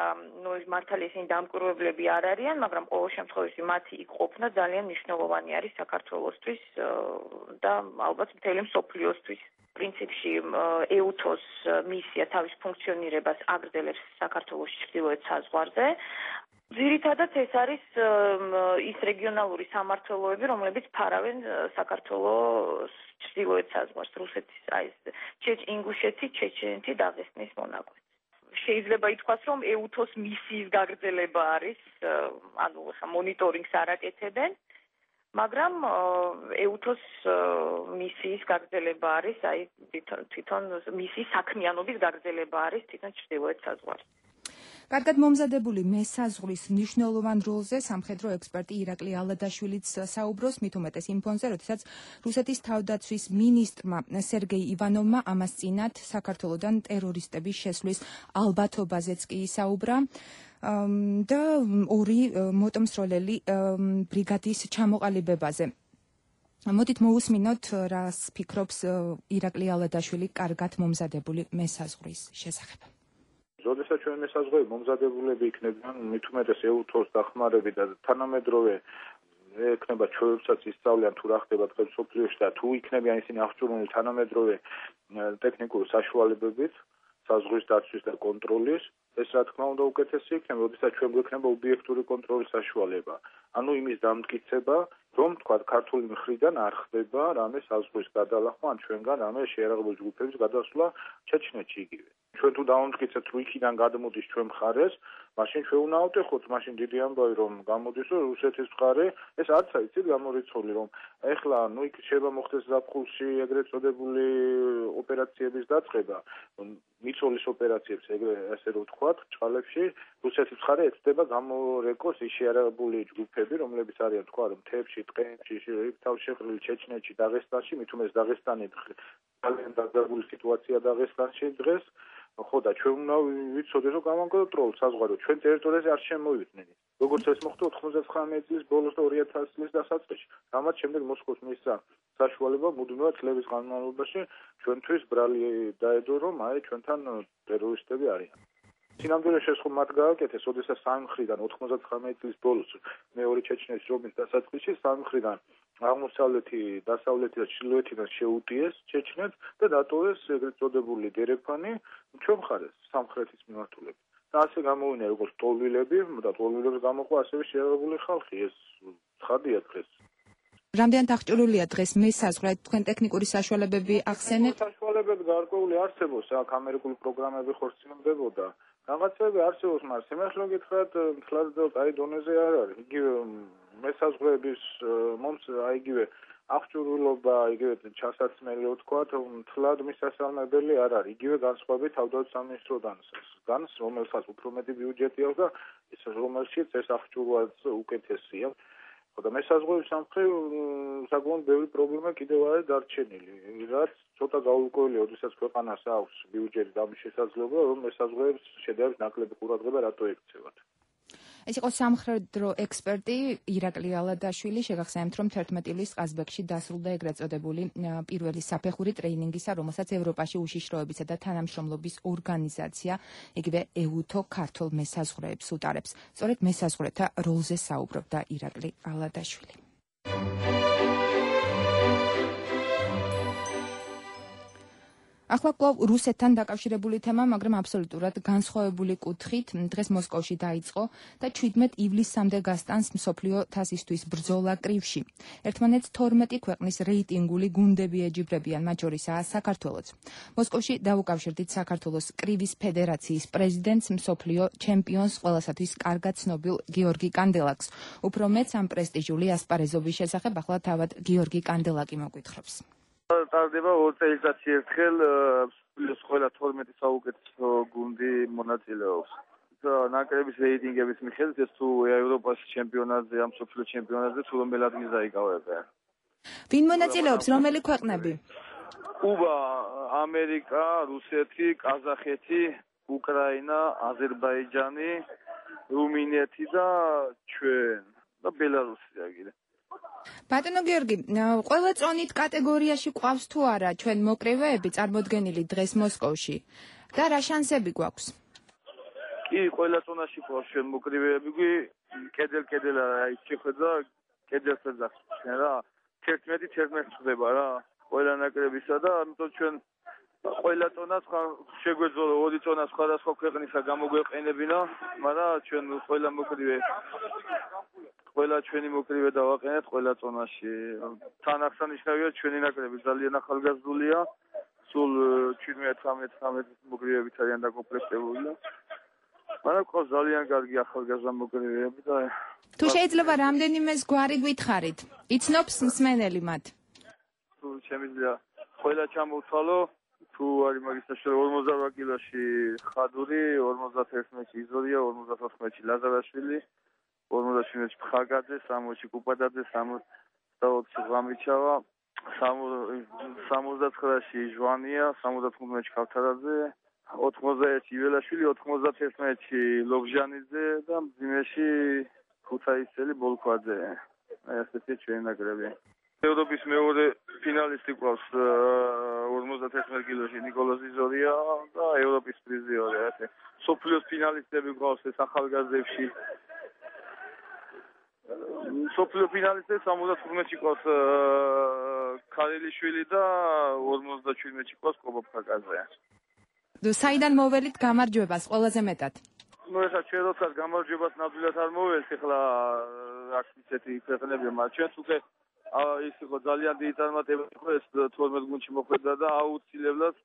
P: მართალია ისინი დამკვირვებლები არ არიან, მაგრამ ყოველ შემთხვევაში მათი იქ ყოფნა ძალიან მნიშვნელოვანი არის საქართველოსთვის და ალბათ მთელი მსოფლიოსთვის. პრინციპში EUTO-s მისია თავის ფუნქციონირებას აგრძელებს საქართველოს ჩრდილოეთ საზღვარზე. ძირითადად ეს არის ის რეგიონალური სამმართველოები, რომლებიც ფარავენ საქართველოს ჩრდილოეთ საზღვარს, რუსეთის, ინგუშეთი, ჩეჩენეთი, დაღესტნის მონაკვეთს. შეიძლება ითქვას, რომ EUTO-s მისიის გაგრძელება არის, ანუ მონიტორინგს არ აკეთებენ. მაგრამ EUTO-s მისიის გაგრძელება არის, თვითონ მისიის საქმიანობის გაგრძელება არის თვითონ ჩრდილოეთ საზღვარში.
A: კარგად მომზადებული მესაზღვრის მნიშვნელოვან როლზე სამხედრო ექსპერტი ირაკლი ალადაშვილიც საუბრობს, მით უმეტეს იმ ფონზე, როდესაც რუსეთის თავდაცვის მინისტრმა სერგეი ივანოვმა ამას წინათ საქართველოდან ტერორისტების შესვლის ალბათობაზეც კი ისაუბრა. და ორი მოტომსროლელი ბრიგადის ჩამოყალიბებაზე. მოდით მოусმინოთ, რას ფიქრობს ირაკლი ალადაშვილი კარგად მომზადებული მესაზღვრის შესახებ.
H: როდესაც ჩვენ მესაზღვრეები მომზადებულები იქნებიან, მით უმეტეს EUTO-s დახმარებით და თანამედროვე ექნება ჩვენებსაც ისწავლიან თუ რა ხდება დღეს სოფლიოში და თუ იქნებიან ისინი აღჭურვილი თანამედროვე ტექნიკური საშუალებებით საზღვრის დაცვის და კონტროლის, ეს რა თქმა უნდა უკეთესი იქნება, როდესაც ჩვენ გვექნება ობიექტური კონტროლის საშუალება. ანუ იმის დამტკიცება, რომ თქვა ქართული მხრიდან არ ხდება რამე საზღვრის გადალახვა, ან ჩვენგან რამე შეიარაღებული ჯგუფების გადასვლა ჩეჩნეთში იგივე. ჩვენ თუ დავამტკიცებთ, რომ იქიდან გადმოდის ჩვენ მხარეს, მაშინ ჩვენ უნდა ავტეხოთ, მაშინ დიდი ამბავი რომ გამოდის, რომ რუსეთის მხარე, ეს არც აიცით გამორიცხული, რომ ეხლა იქ შეიძლება მოხდეს ზაფხულში ეგრეთ წოდებული ოპერაციების დაწყება, მიწოლის ოპერაციებს ესე რომ ვთქვათ, ჭყალებში რუსეთის მხარე ეცდება გამორეკოს ის შეიარაღებული ჯგუფები, რომლებიც არიან თქვა რომ მთებში, ტყეებში, თავშეყრილი ჩეჩნეთში, დაღესტანში, მით უმეტეს დაღესტანი ძალიან დაძაბული სიტუაცია დაღესტანში დღეს. ხო და ჩვენ უნდა ვიცოდეთ, რომ გამონკონტროლოთ საზღვარი, ჩვენ ტერიტორიაზე არ შემოვიდნენ. როგორც ეს მოხდა 99 წლის ბოლოს და 2000 წლის დასაწყისში. რამაც შემდეგ მოსკოვს მისცა საშუალება მუდმივად წლების განმავლობაში ჩვენთვის ბრალი დაედო, რომ ჩვენთან ტერორისტები არიან. სინამდვილეში შესხო მათ გააკეთეს, ოდესაც სამი მხრიდან 99 წლის ბოლოს მეორე ჩეჩნეთის ომის დასაწყისში სამი მხრიდან აღმოსავლეთი, დასავლეთი და ჩრდილოეთიდან შეუტიეს ჩეჩნეთს და დატოვეს ეგრეთ წოდებული დერეფანი ჩვენ მხარეს სამხრეთის მიმართულებით. და ასე გამოვიდნენ როგორც ტოლვილები და ტოლვილებს გამოყვა ასევე შეიარაღებული ხალხი, ეს ცხადია დღეს.
A: რამდენად აღჭურვილია დღეს მესაზღვრე, თქვენ ტექნიკური საშუალებები ახსენეთ?
H: საშუალებები გარკვეული არსებობს, აქ ამერიკული პროგრამები ხორციელდებოდა, რაღაცები არსებობს, მაგრამ სიმართლე გითხრათ, მთლად აი დონეზე არ არის. იგივე მესაზღვრეების იგივე აღჭურვილობა, იგივე ჩასაცმელი ვთქვათ, მთლად მისასალმებელი არ არის. იგივე განსხვავებით თავდაცვის სამინისტროდან, რომელსაც უფრო მეტი ბიუჯეტი აქვს და ის რომელშიც ეს აღჭურვაც უკეთესია. და მესაზღვრეობის სამხედრო საკმაოდ ბევრი პრობლემა კიდევ არის დარჩენილი, რაც ცოტა გაურკვეველია, როდესაც ქვეყანას აქვს ბიუჯეტი და ამის შესაძლებლობა, რომ მესაზღვრეებს შედარებით ნაკლები ყურადღება რატო ექცევათ.
A: ეს იყო სამხედრო ექსპერტი ირაკლი ალადაშვილი. შეგახსენებთ, რომ 11 ივლისს ყაზბეგში დასრულდა ეგრეთ წოდებული პირველი საფეხური ტრეინინგისა, რომელსაც ევროპაში უშიშროებისა და თანამშრომლობის ორგანიზაცია, იგივე EUTO ქართულ მესაზღვრეებს უტარებს. სწორედ მესაზღვრეთა როლზე საუბრობდა ირაკლი ალადაშვილი. ახლა კვლავ რუსეთთან დაკავშირებული თემა, მაგრამ აბსოლუტურად განსხვავებული კუთხით. დღეს მოსკოვში დაიწყო და 17 ივლისამდე გასტანს მსოფლიო თასისთვის ბრძოლა კრივში. ერთმანეთს 12 ქვეყნის რეიტინგული გუნდები ეჯიბრებიან, მათ შორისაა საქართველოც. მოსკოვში დაუკავშირდით საქართველოს კრივის ფედერაციის პრეზიდენტს, მსოფლიო ჩემპიონს, ყველასათვის კარგად ცნობილ გიორგი კანდელაკს. უფრო მეც ამ პრესტიჟული ასპარეზობის შესახებ ახლა თავად გიორგი კანდელაკი მოგვითხრობს.
Q: ტარდება 2 წელიწადში ერთხელ ყველა 12 საუკეთესო გუნდი მონაწილეობს. ნაკრების რეიტინგების მიხედვით ეს თუ ევროპის ჩემპიონატზე, ამ მსოფლიო ჩემპიონატზე თუ რომელ ადგილს დაიკავებენ.
A: ვინ მონაწილეობს, რომელი ქვეყნები?
Q: კუბა, ამერიკა, რუსეთი, ყაზახეთი, უკრაინა, აზერბაიჯანი, რუმინეთი და ჩვენ და ბელარუსი აგირე.
A: ბატონო გიორგი, ყველა წონით კატეგორიაში ყავს თუ არა ჩვენ მოკრივეები წარმოდგენილი დღეს მოსკოვში და რა შანსები გვაქვს?
Q: კი, ყველა წონაში ყავს ჩვენ მოკრივეები, კედელ აი შეხედა კედელზე ძახს რა. 11 ხდება რა. ყველა ნაკრებისა და ამიტომ ჩვენ ყველა წონას შეგვეძლო 2 წონა სხვადასხვა ქვეყნისა გამოგვეყენებინა, მაგრამ ჩვენ ყველა მოკრივე ყველა ჩვენი მოკრივე დავაყენეთ ყველა წონაში. თან აღსანიშნავია ჩვენი ნაკრები ძალიან ახალგაზრდულია. სულ 17-18 მოკრივეებით არიან დაკომპლექტებული. მაგრამ ყავს ძალიან კარგი ახალგაზრდა მოკრივეები და
A: თუ შეიძლება რამდენიმეს გვარი გითხარით. იცნობს მსმენელი მათ.
Q: თუ შემიძლია ყველა ჩამოვთვალო, თუ არის მაგის საშუალება 48 კილოში ხადური, 51-ში იზორია, 54-ში ლაზარაშვილი, 47-ში ფხაგაძე, 60-ში კუპადაძე, 64-ში ღამიჩავა, 79-ში ჟვანია, 75-ში ქავთარაძე, 91-ში იველაშვილი, 91-ში ლობჟანიძე და მძიმეში ქუთაისელი ბოლქვაძე. აი ასეთი ჩვენი ნაკრები. ევროპის მეორე ფინალისტი ყავს 51 კილოში ნიკოლოზ იზორია და ევროპის პრიზიორი ასე. სოფლიოს ფინალისტები ყავს ეს ახალგაზრდებში. სოფლიო ფინალისტები 75-ში ყავს ქარელიშვილი და 57-ში ყავს კობოფაკაძე.
A: საიდან მოველით გამარჯვებას ყველაზე მეტად?
Q: ნუ ეხლა ჩვენ როდესაც გამარჯვებას ნამდვილად არ მოველთ, ეხლა აქ ისეთი ქვეყნებია, მაგრამ ჩვენც უკვე ის იყო ძალიან დიდი წარმატება იყო ეს 12 გუნდში მოხვედრა და აუცილებლად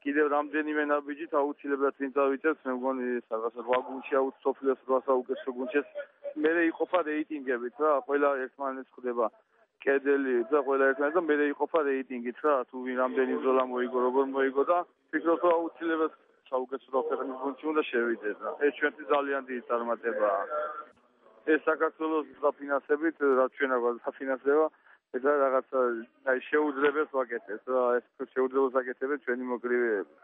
Q: კიდევ რამდენიმე ნაბიჯით აუცილებლად წინ წავიწევთ, მე მგონი რაღაცა 8 გუნდში სოფლიოს 8 საუკეთესო გუნდში მერე იყოფა რეიტინგებით რა, ყველა ერთმანეთს ხვდება კედელი და ყველა ერთმანეთს და მერე იყოფა რეიტინგით რა, თუ ვინ რამდენი ზოლა მოიგო, როგორ მოიგო და ფიქრობ რომ აუცილებლად საუკეთესო ქვეყნის გუნდში უნდა შევიდეთ რა. ეს ჩვენთვის ძალიან დიდი წარმატებაა. ეს საქართველოს დაფინანსებით, რაც ჩვენ აგვაქვს დაფინანსება, ეს რაღაცა აი შეუძლებელს ვაკეთებთ რა, ეს შეუძლებელს ვაკეთებთ ჩვენი მოკრივეები.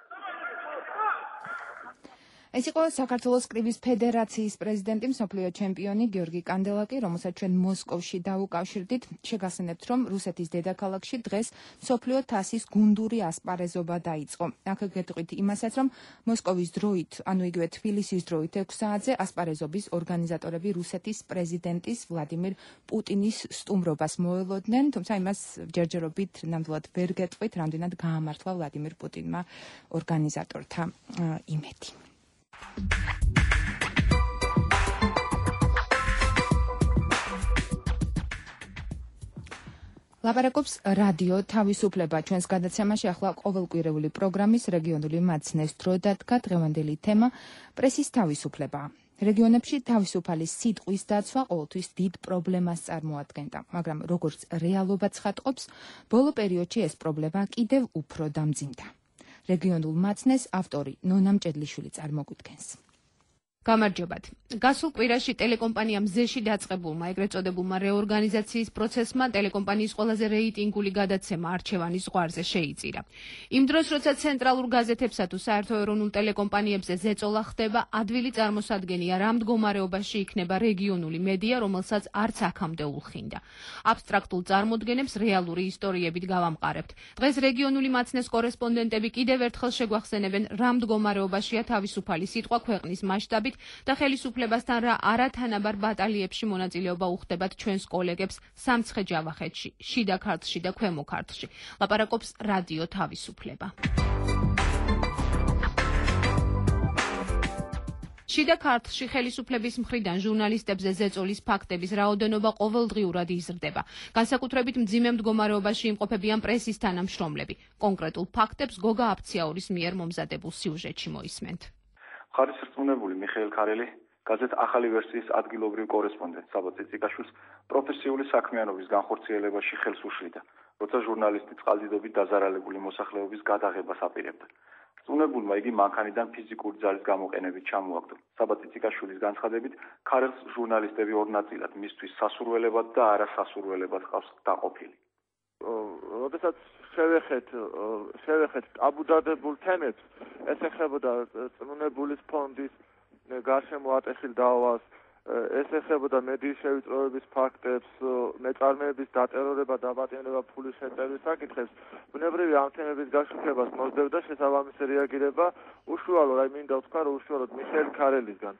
A: ეს იყო საქართველოს კრივის ფედერაციის პრეზიდენტი, მსოფლიო ჩემპიონი გიორგი კანდელაკი, რომელსაც ჩვენ მოსკოვში დაუკავშირდით. შეგახსენებთ, რომ რუსეთის დედაქალაქში დღეს მსოფლიო თასის გუნდური ასპარეზობა დაიწყო. აქ გეტყვით იმასაც, რომ მოსკოვის დროით, ანუ იგივე თბილისის დროით 6 საათზე ასპარეზობის ორგანიზატორები რუსეთის პრეზიდენტის ვლადიმირ პუტინის სტუმრობას მოელოდნენ, თუმცა იმას ჯერჯერობით ნამდვილად ვერ გეტყვით, რამდენად გაამართლა ვლადიმირ პუტინმა ორგანიზატორთა იმედი. ლაპარაკობს რადიო თავისუფლება. ჩვენს გადაცემაში ახლა ყოველკვირეული პროგრამის რეგიონული მაცნეს დრო დადგა დღევანდელი თემა პრესის თავისუფლება. რეგიონებში თავისუფალი სიტყვის დაცვა ყოველთვის დიდ პრობლემას წარმოადგენდა, მაგრამ როგორც რეალობა ცხადყოფს, ბოლო პერიოდში ეს პრობლემა კიდევ უფრო დამძიმდა. რეგიონულ მაცნეს ავტორი ნონა მჭედლიშვილი წარმოგვიდგენს.
R: გამარჯობათ. გასულ კვირაში ტელეკომპანიამ ზეში დაწყებულმა ეგრეთ წოდებულმა რეორგანიზაციის პროცესმა ტელეკომპანიის ყველაზე რეიტინგული გადაცემა არჩევანის ზღვარზე შეიწირა. იმ დროს, როცა ცენტრალურ გაზეთებსა თუ საერთო ეროვნულ ტელეკომპანიებზე ზეწოლა ხდება, ადვილი წარმოსადგენია რა მდგომარეობაში იქნება რეგიონული მედია, რომელსაც არც აქამდე ულხინდა. აბსტრაქტულ წარმოდგენებს რეალური ისტორიებით გავამყარებთ. დღეს რეგიონული მაცნეს კორესპონდენტები კიდევ ერთხელ შეგვახსენებენ რა მდგომარეობაშია თავისუფალი სიტყვა ქვეყნის მასშტაბით და ხელისუფლებასთან რა არათანაბარ ბატალიებში მონაწილეობა უხდებათ ჩვენს კოლეგებს სამცხე-ჯავახეთში, შიდა ქართლში და ქვემო ქართლში. ლაპარაკობს რადიო თავისუფლება. შიდა ქართლში ხელისუფლების მხრიდან ჟურნალისტებზე ზეწოლის ფაქტების რაოდენობა ყოველდღიურად იზრდება. განსაკუთრებით მძიმე მდგომარეობაში იმყოფებიან პრესის თანამშრომლები. კონკრეტულ ფაქტებს გოგა აფციაურის მიერ მომზადებულ სიუჟეტში მოისმენთ.
C: ხარისრწმუნებული მიხეილ ქარელი გაზეთ ახალი ვერსიის ადგილობრივ კორესპონდენტ საბა ციციკაშვილს პროფესიული საქმიანობის განხორციელებაში ხელს უშლიდა, როცა ჟურნალისტი წყალდიდობით დაზარალებული მოსახლეობის გადაღებას აპირებდა. რწმუნებულმა იგი მანქანიდან ფიზიკური ძალის გამოყენებით ჩამოაგდო. საბა ციციკაშვილის განცხადებით, ქარელს ჟურნალისტები ორ ნაწილად მისთვის სასურველებად და არასასურველებად ყავს დაყოფილი.
Q: როდესაც შევეხეთ აბუდადებულ თემებს, ეს ეხებოდა წმუნებულის ფონდის გარშემო ატეხილ დაავას, ეს ეხებოდა მედიის შევიწროების ფაქტებს, მეწარმეების დატერორება, დაბატონება, ფულის შეწევრის საკითხებს. ბუნებრივია ამ თემების გაშუქებას მოსდევდა შესაბამისი რეაგირება უშუალოდ, მინდა ვთქვა, რომ უშუალოდ მიხეილ ქარელისგან.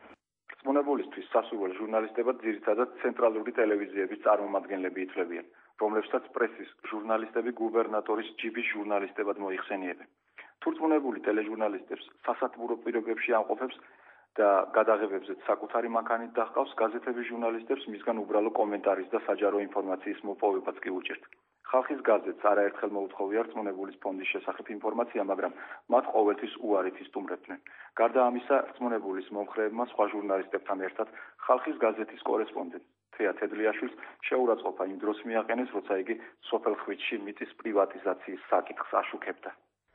C: წმუნებულისთვის სასურველ ჟურნალისტებად ძირითადად ცენტრალური ტელევიზიების წარმომადგენლები ითვლებიან, რომლებსაც პრესის ჟურნალისტები გუბერნატორის ჯიბის ჟურნალისტებად მოიხსენიებენ. თუ წმუნებული ტელეჟურნალისტებს სასათბურო პირობებში ამყოფებს და გადაღებებზეც საკუთარი მანქანით დაჰყავს, გაზეთების ჟურნალისტებს მისგან უბრალო კომენტარის და საჯარო ინფორმაციის მოპოვებაც კი უჭირთ. ხალხის გაზეთს არაერთხელ მოუთხოვია რწმუნებულის ფონდის შესახებ ინფორმაცია, მაგრამ მათ ყოველთვის უარით ისტუმრებდნენ. გარდა ამისა, რწმუნებულის მომხრეებმა სხვა ჟურნალისტებთან ერთად ხალხის გაზეთის კორესპონდენტ თეა თედლიაშვილს შეურაცხყოფა იმ დროს მიაყენეს, როცა იგი სოფელ ხვიჩში მიწის პრივატიზაციის საკითხს აშუქებდა.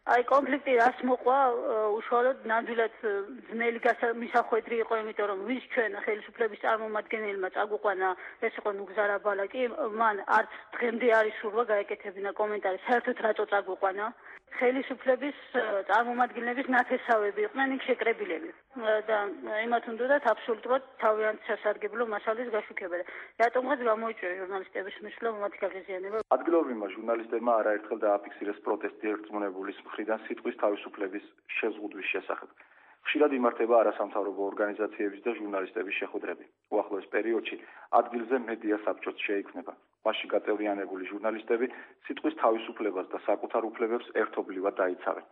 G: აი კონფლიქტი რას მოყვა უშუალოდ ნამდვილად ძნელი მისახვედრი იყო, იმიტომ რომ ვის ჩვენ ხელისუფლების წარმომადგენელმა წაგვიყვანა ეს იყო ნუგზარა ბალაკი, მან არც დღემდე არის სურვა გაეკეთებინა კომენტარი, საერთოდ რატო წაგვიყვანა. ხელისუფლების წარმომადგენლების ნათესავები იყვნენ იქ შეკრებილები და იმათ უნდათ აბსოლუტურად თავიანთ სასარგებლო მასალის გაშუქება. რატომღაც გამოიწვია ჟურნალისტების მისვლა მათი გაღიზიანება.
C: ადგილობრივმა ჟურნალისტებმა არაერთხელ დააფიქსირეს პროტესტი რწმუნებულის მხრიდან სიტყვის თავისუფლების შეზღუდვის შესახებ. ხშირად იმართება არასამთავრობო ორგანიზაციების და ჟურნალისტების შეხვედრები. უახლოეს პერიოდში ადგილზე მედია საბჭოც შეიქმნება. მასში გაწევრიანებული ჟურნალისტები სიტყვის თავისუფლებას და საკუთარ უფლებებს ერთობლივად დაიცავენ.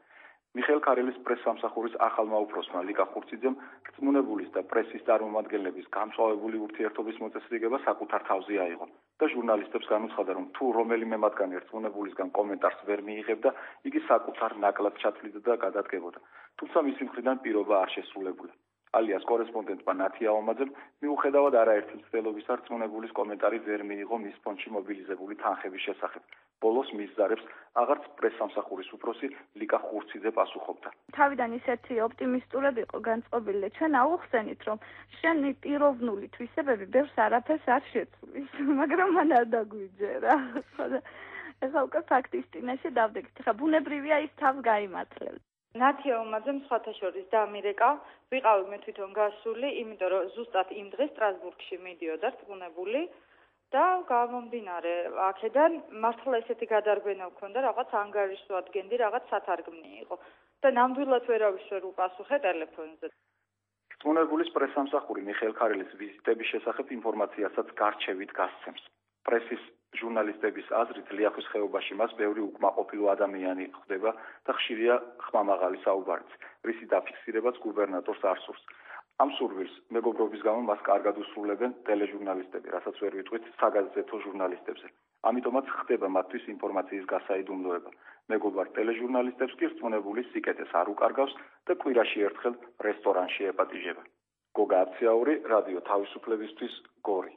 C: მიხეილ ქარელის პრესსამსახურის ახალმა უფროსმა ლიკა ხურციძემ რწმუნებულის და პრესის წარმომადგენლების გამწვავებული ურთიერთობის მოწესრიგება საკუთარ თავზე აიღო და ჟურნალისტებს განუცხადა, რომ თუ რომელიმე მათგანი რწმუნებულისგან კომენტარს ვერ მიიღებდა, იგი საკუთარ ნაკლად ჩათვლიდა და გადადგებოდა. თუმცა მისი მხრიდან პირობა არ შესრულებულა. ალიას კორესპონდენტმა ნათია ომაძემ მიუხედავად არაერთი მცდელობისა რწმუნებულის კომენტარი ვერ მიიღო მის ფონდში მობილიზებული თანხების შესახებ. ბოლოს მის ზარებს აღარც პრესსამსახურის უფროსი ლიკა ხურციძე პასუხობდა.
S: თავიდან ისეთი ოპტიმისტურები იყო განწყობილი, ჩვენ აუხსენით, რომ შენი პიროვნული თვისებები ბევრს არაფერს არ შეცვლის, მაგრამ მან არ დაგვიჯერა. ეხლა უკვე ფაქტის წინაშე დავდექით. ხა ბუნებრივია ის თავს გაიმართლებს.
P: ნათია ომაძემ სხვათა შორის დამირეკა, ვიყავი მე თვითონ გასული, იმიტომ რომ ზუსტად იმ დღეს სტრასბურგში მიდიოდა რწმუნებული და გამომდინარე აქედან მართლა ესეთი გადარგვენა ვქონდა, რაღაც ანგარიშს ვადგენდი, რაღაც სათარგმნი იყო და ნამდვილად ვერავის ვერ უპასუხე ტელეფონზე.
C: რწმუნებულის პრესსამსახური მიხეილ ქარელის ვიზიტების შესახებ ინფორმაციასაც გარჩევით გასცემს. პრესის ჟურნალისტების აზრით ლიახვის ხეობაში მას ბევრი უკმაყოფილო ადამიანი ხვდება და ხშირია ხმამაღალი საუბარიც, რისი დაფიქსირებაც გუბერნატორს არ სურს. ამ სურვილს მეგობრობის გამო მას კარგად უსრულებენ ტელეჟურნალისტები, რასაც ვერ ვიტყვით საგაზეთო ჟურნალისტებზე. ამიტომაც ხდება მათთვის ინფორმაციის გასაიდუმლოება. მეგობარ ტელეჟურნალისტებს კი რწმუნებული სიკეთეს არ უკარგავს და კვირაში ერთხელ რესტორანში ეპატიჟება. გოგა აფციაური, რადიო თავისუფლებისთვის, გორი.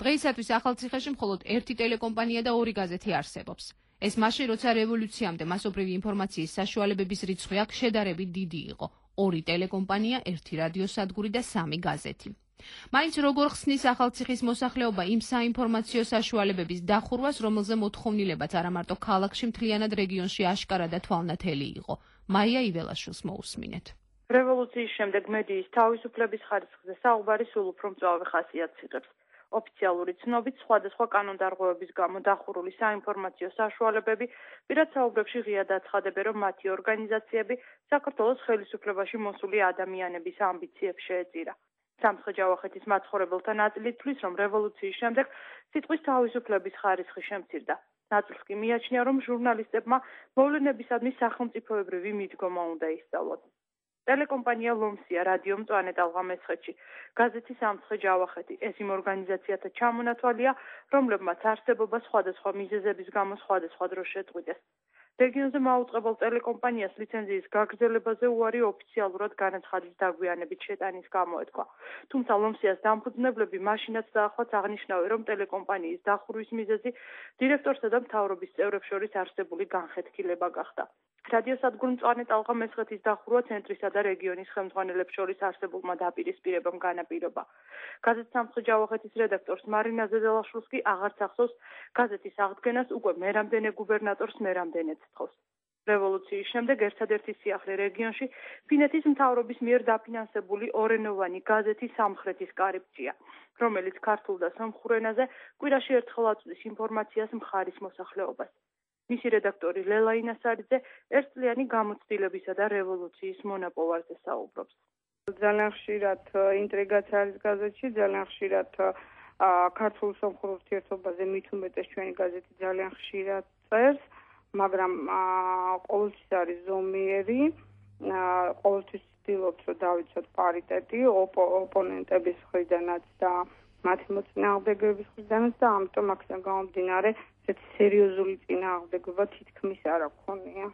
R: დღეისათვის ახალციხეში მხოლოდ ერთი ტელეკომპანია და 2 გაზეთი არსებობს. ეს მაშინ, როცა რევოლუციამდე მასობრივი ინფორმაციის საშუალებების რიცხვი აქ შედარებით დიდი იყო. 2 ტელეკომპანია, 1 რადიოსადგური და 3 გაზეთი. მაინც როგორ ხსნის ახალციხის მოსახლეობა იმ საინფორმაციო საშუალებების დახურვას, რომელზე მოთხოვნილებაც არა მარტო ქალაქში, მთლიანად რეგიონში აშკარა და თვალნათელი იყო. მაია იველაშვილს მოусმინეთ.
P: რევოლუციის შემდეგ მედიის თავისუფლების ხარისხზე საუბარი სულ უფრო მწვავე ხასიათს იღებს. ოფიციალური ცნობით სხვადასხვა კანონდარღვევების გამო დახურული საინფორმაციო საშუალებები პირად საუბრებში ღიად აცხადებენ, რომ მათი ორგანიზაციები საქართველოს ხელისუფლებაში მოსული ადამიანების ამბიციებს შეეწირა. სამცხე-ჯავახეთის მაცხოვრებელთა ნაწილი თვლის, რომ რევოლუციის შემდეგ სიტყვის თავისუფლების ხარისხი შემცირდა. ნაწილს კი მიაჩნია, რომ ჟურნალისტებმა მოვლენებისადმი სახელმწიფოებრივი მიდგომა უნდა ისწავლოთ. ტელეკომპანია ლომსია რადიო მწვანე ტალღა მესხეთში, გაზეთი სამცხე-ჯავახეთი. ეს იმ ორგანიზაციათა ჩამონათვალია, რომლებმაც არსებობა სხვადასხვა მიზეზების გამო სხვადასხვა დროს შეწყვიტეს. რეგიონზე მაუწყებელ ტელეკომპანიას ლიცენზიის გაგრძელებაზე უარი ოფიციალურად განაცხადის დაგვიანებით შეტანის გამოეთქვა. თუმცა ლომსიას დამფუძნებლები მაშინაც დაახლოებით აღნიშნავენ, რომ ტელეკომპანიის დახურვის მიზეზი დირექტორსა და მთავრობის წევრებს შორის არსებული განხეთქილება გახდა. რადიოსადგურ მწვანე ტალღა მესხეთის დახურვა ცენტრისა და რეგიონის ხელმძღვანელებს შორის არსებულმა დაპირისპირებამ განაპირობა. გაზეთ სამცხე-ჯავახეთის რედაქტორს მარინა ზედელაშვილს კი აღარც ახსოვს გაზეთის აღდგენას, უკვე მერამდენე გუბერნატორს მერამდენეც თხოვს. რევოლუციის შემდეგ ერთადერთი სიახლე რეგიონში ფინეთის მთავრობის მიერ დაფინანსებული ორენოვანი გაზეთი სამხრეთის კარიბჭეა, რომელიც ქართულ და სომხურ ენაზე კვირაში ერთხელ აწვდის ინფორმაციას მხარის მოსახლეობას. მისი რედაქტორი ლელა ინასარიძე ერთწლიანი გამოცდილებისა და რევოლუციის მონაპოვარზე საუბრობს.
T: ძალიან ხშირად ინტრიგაც არის გაზეთში, ძალიან ხშირად ქართულ-სომხურ ურთიერთობაზე მით უმეტეს ჩვენი გაზეთი ძალიან ხშირად წერს, მაგრამ ყოველთვის არის ზომიერი, ყოველთვის ვცდილობთ, რომ დავიცოთ პარიტეტი ოპონენტების მხრიდანაც და მათი მოწინააღმდეგეების მხრიდანაც და ამიტომ აქედან გამომდინარე ესეთი სერიოზული წინააღმდეგობა თითქმის არ აქონია.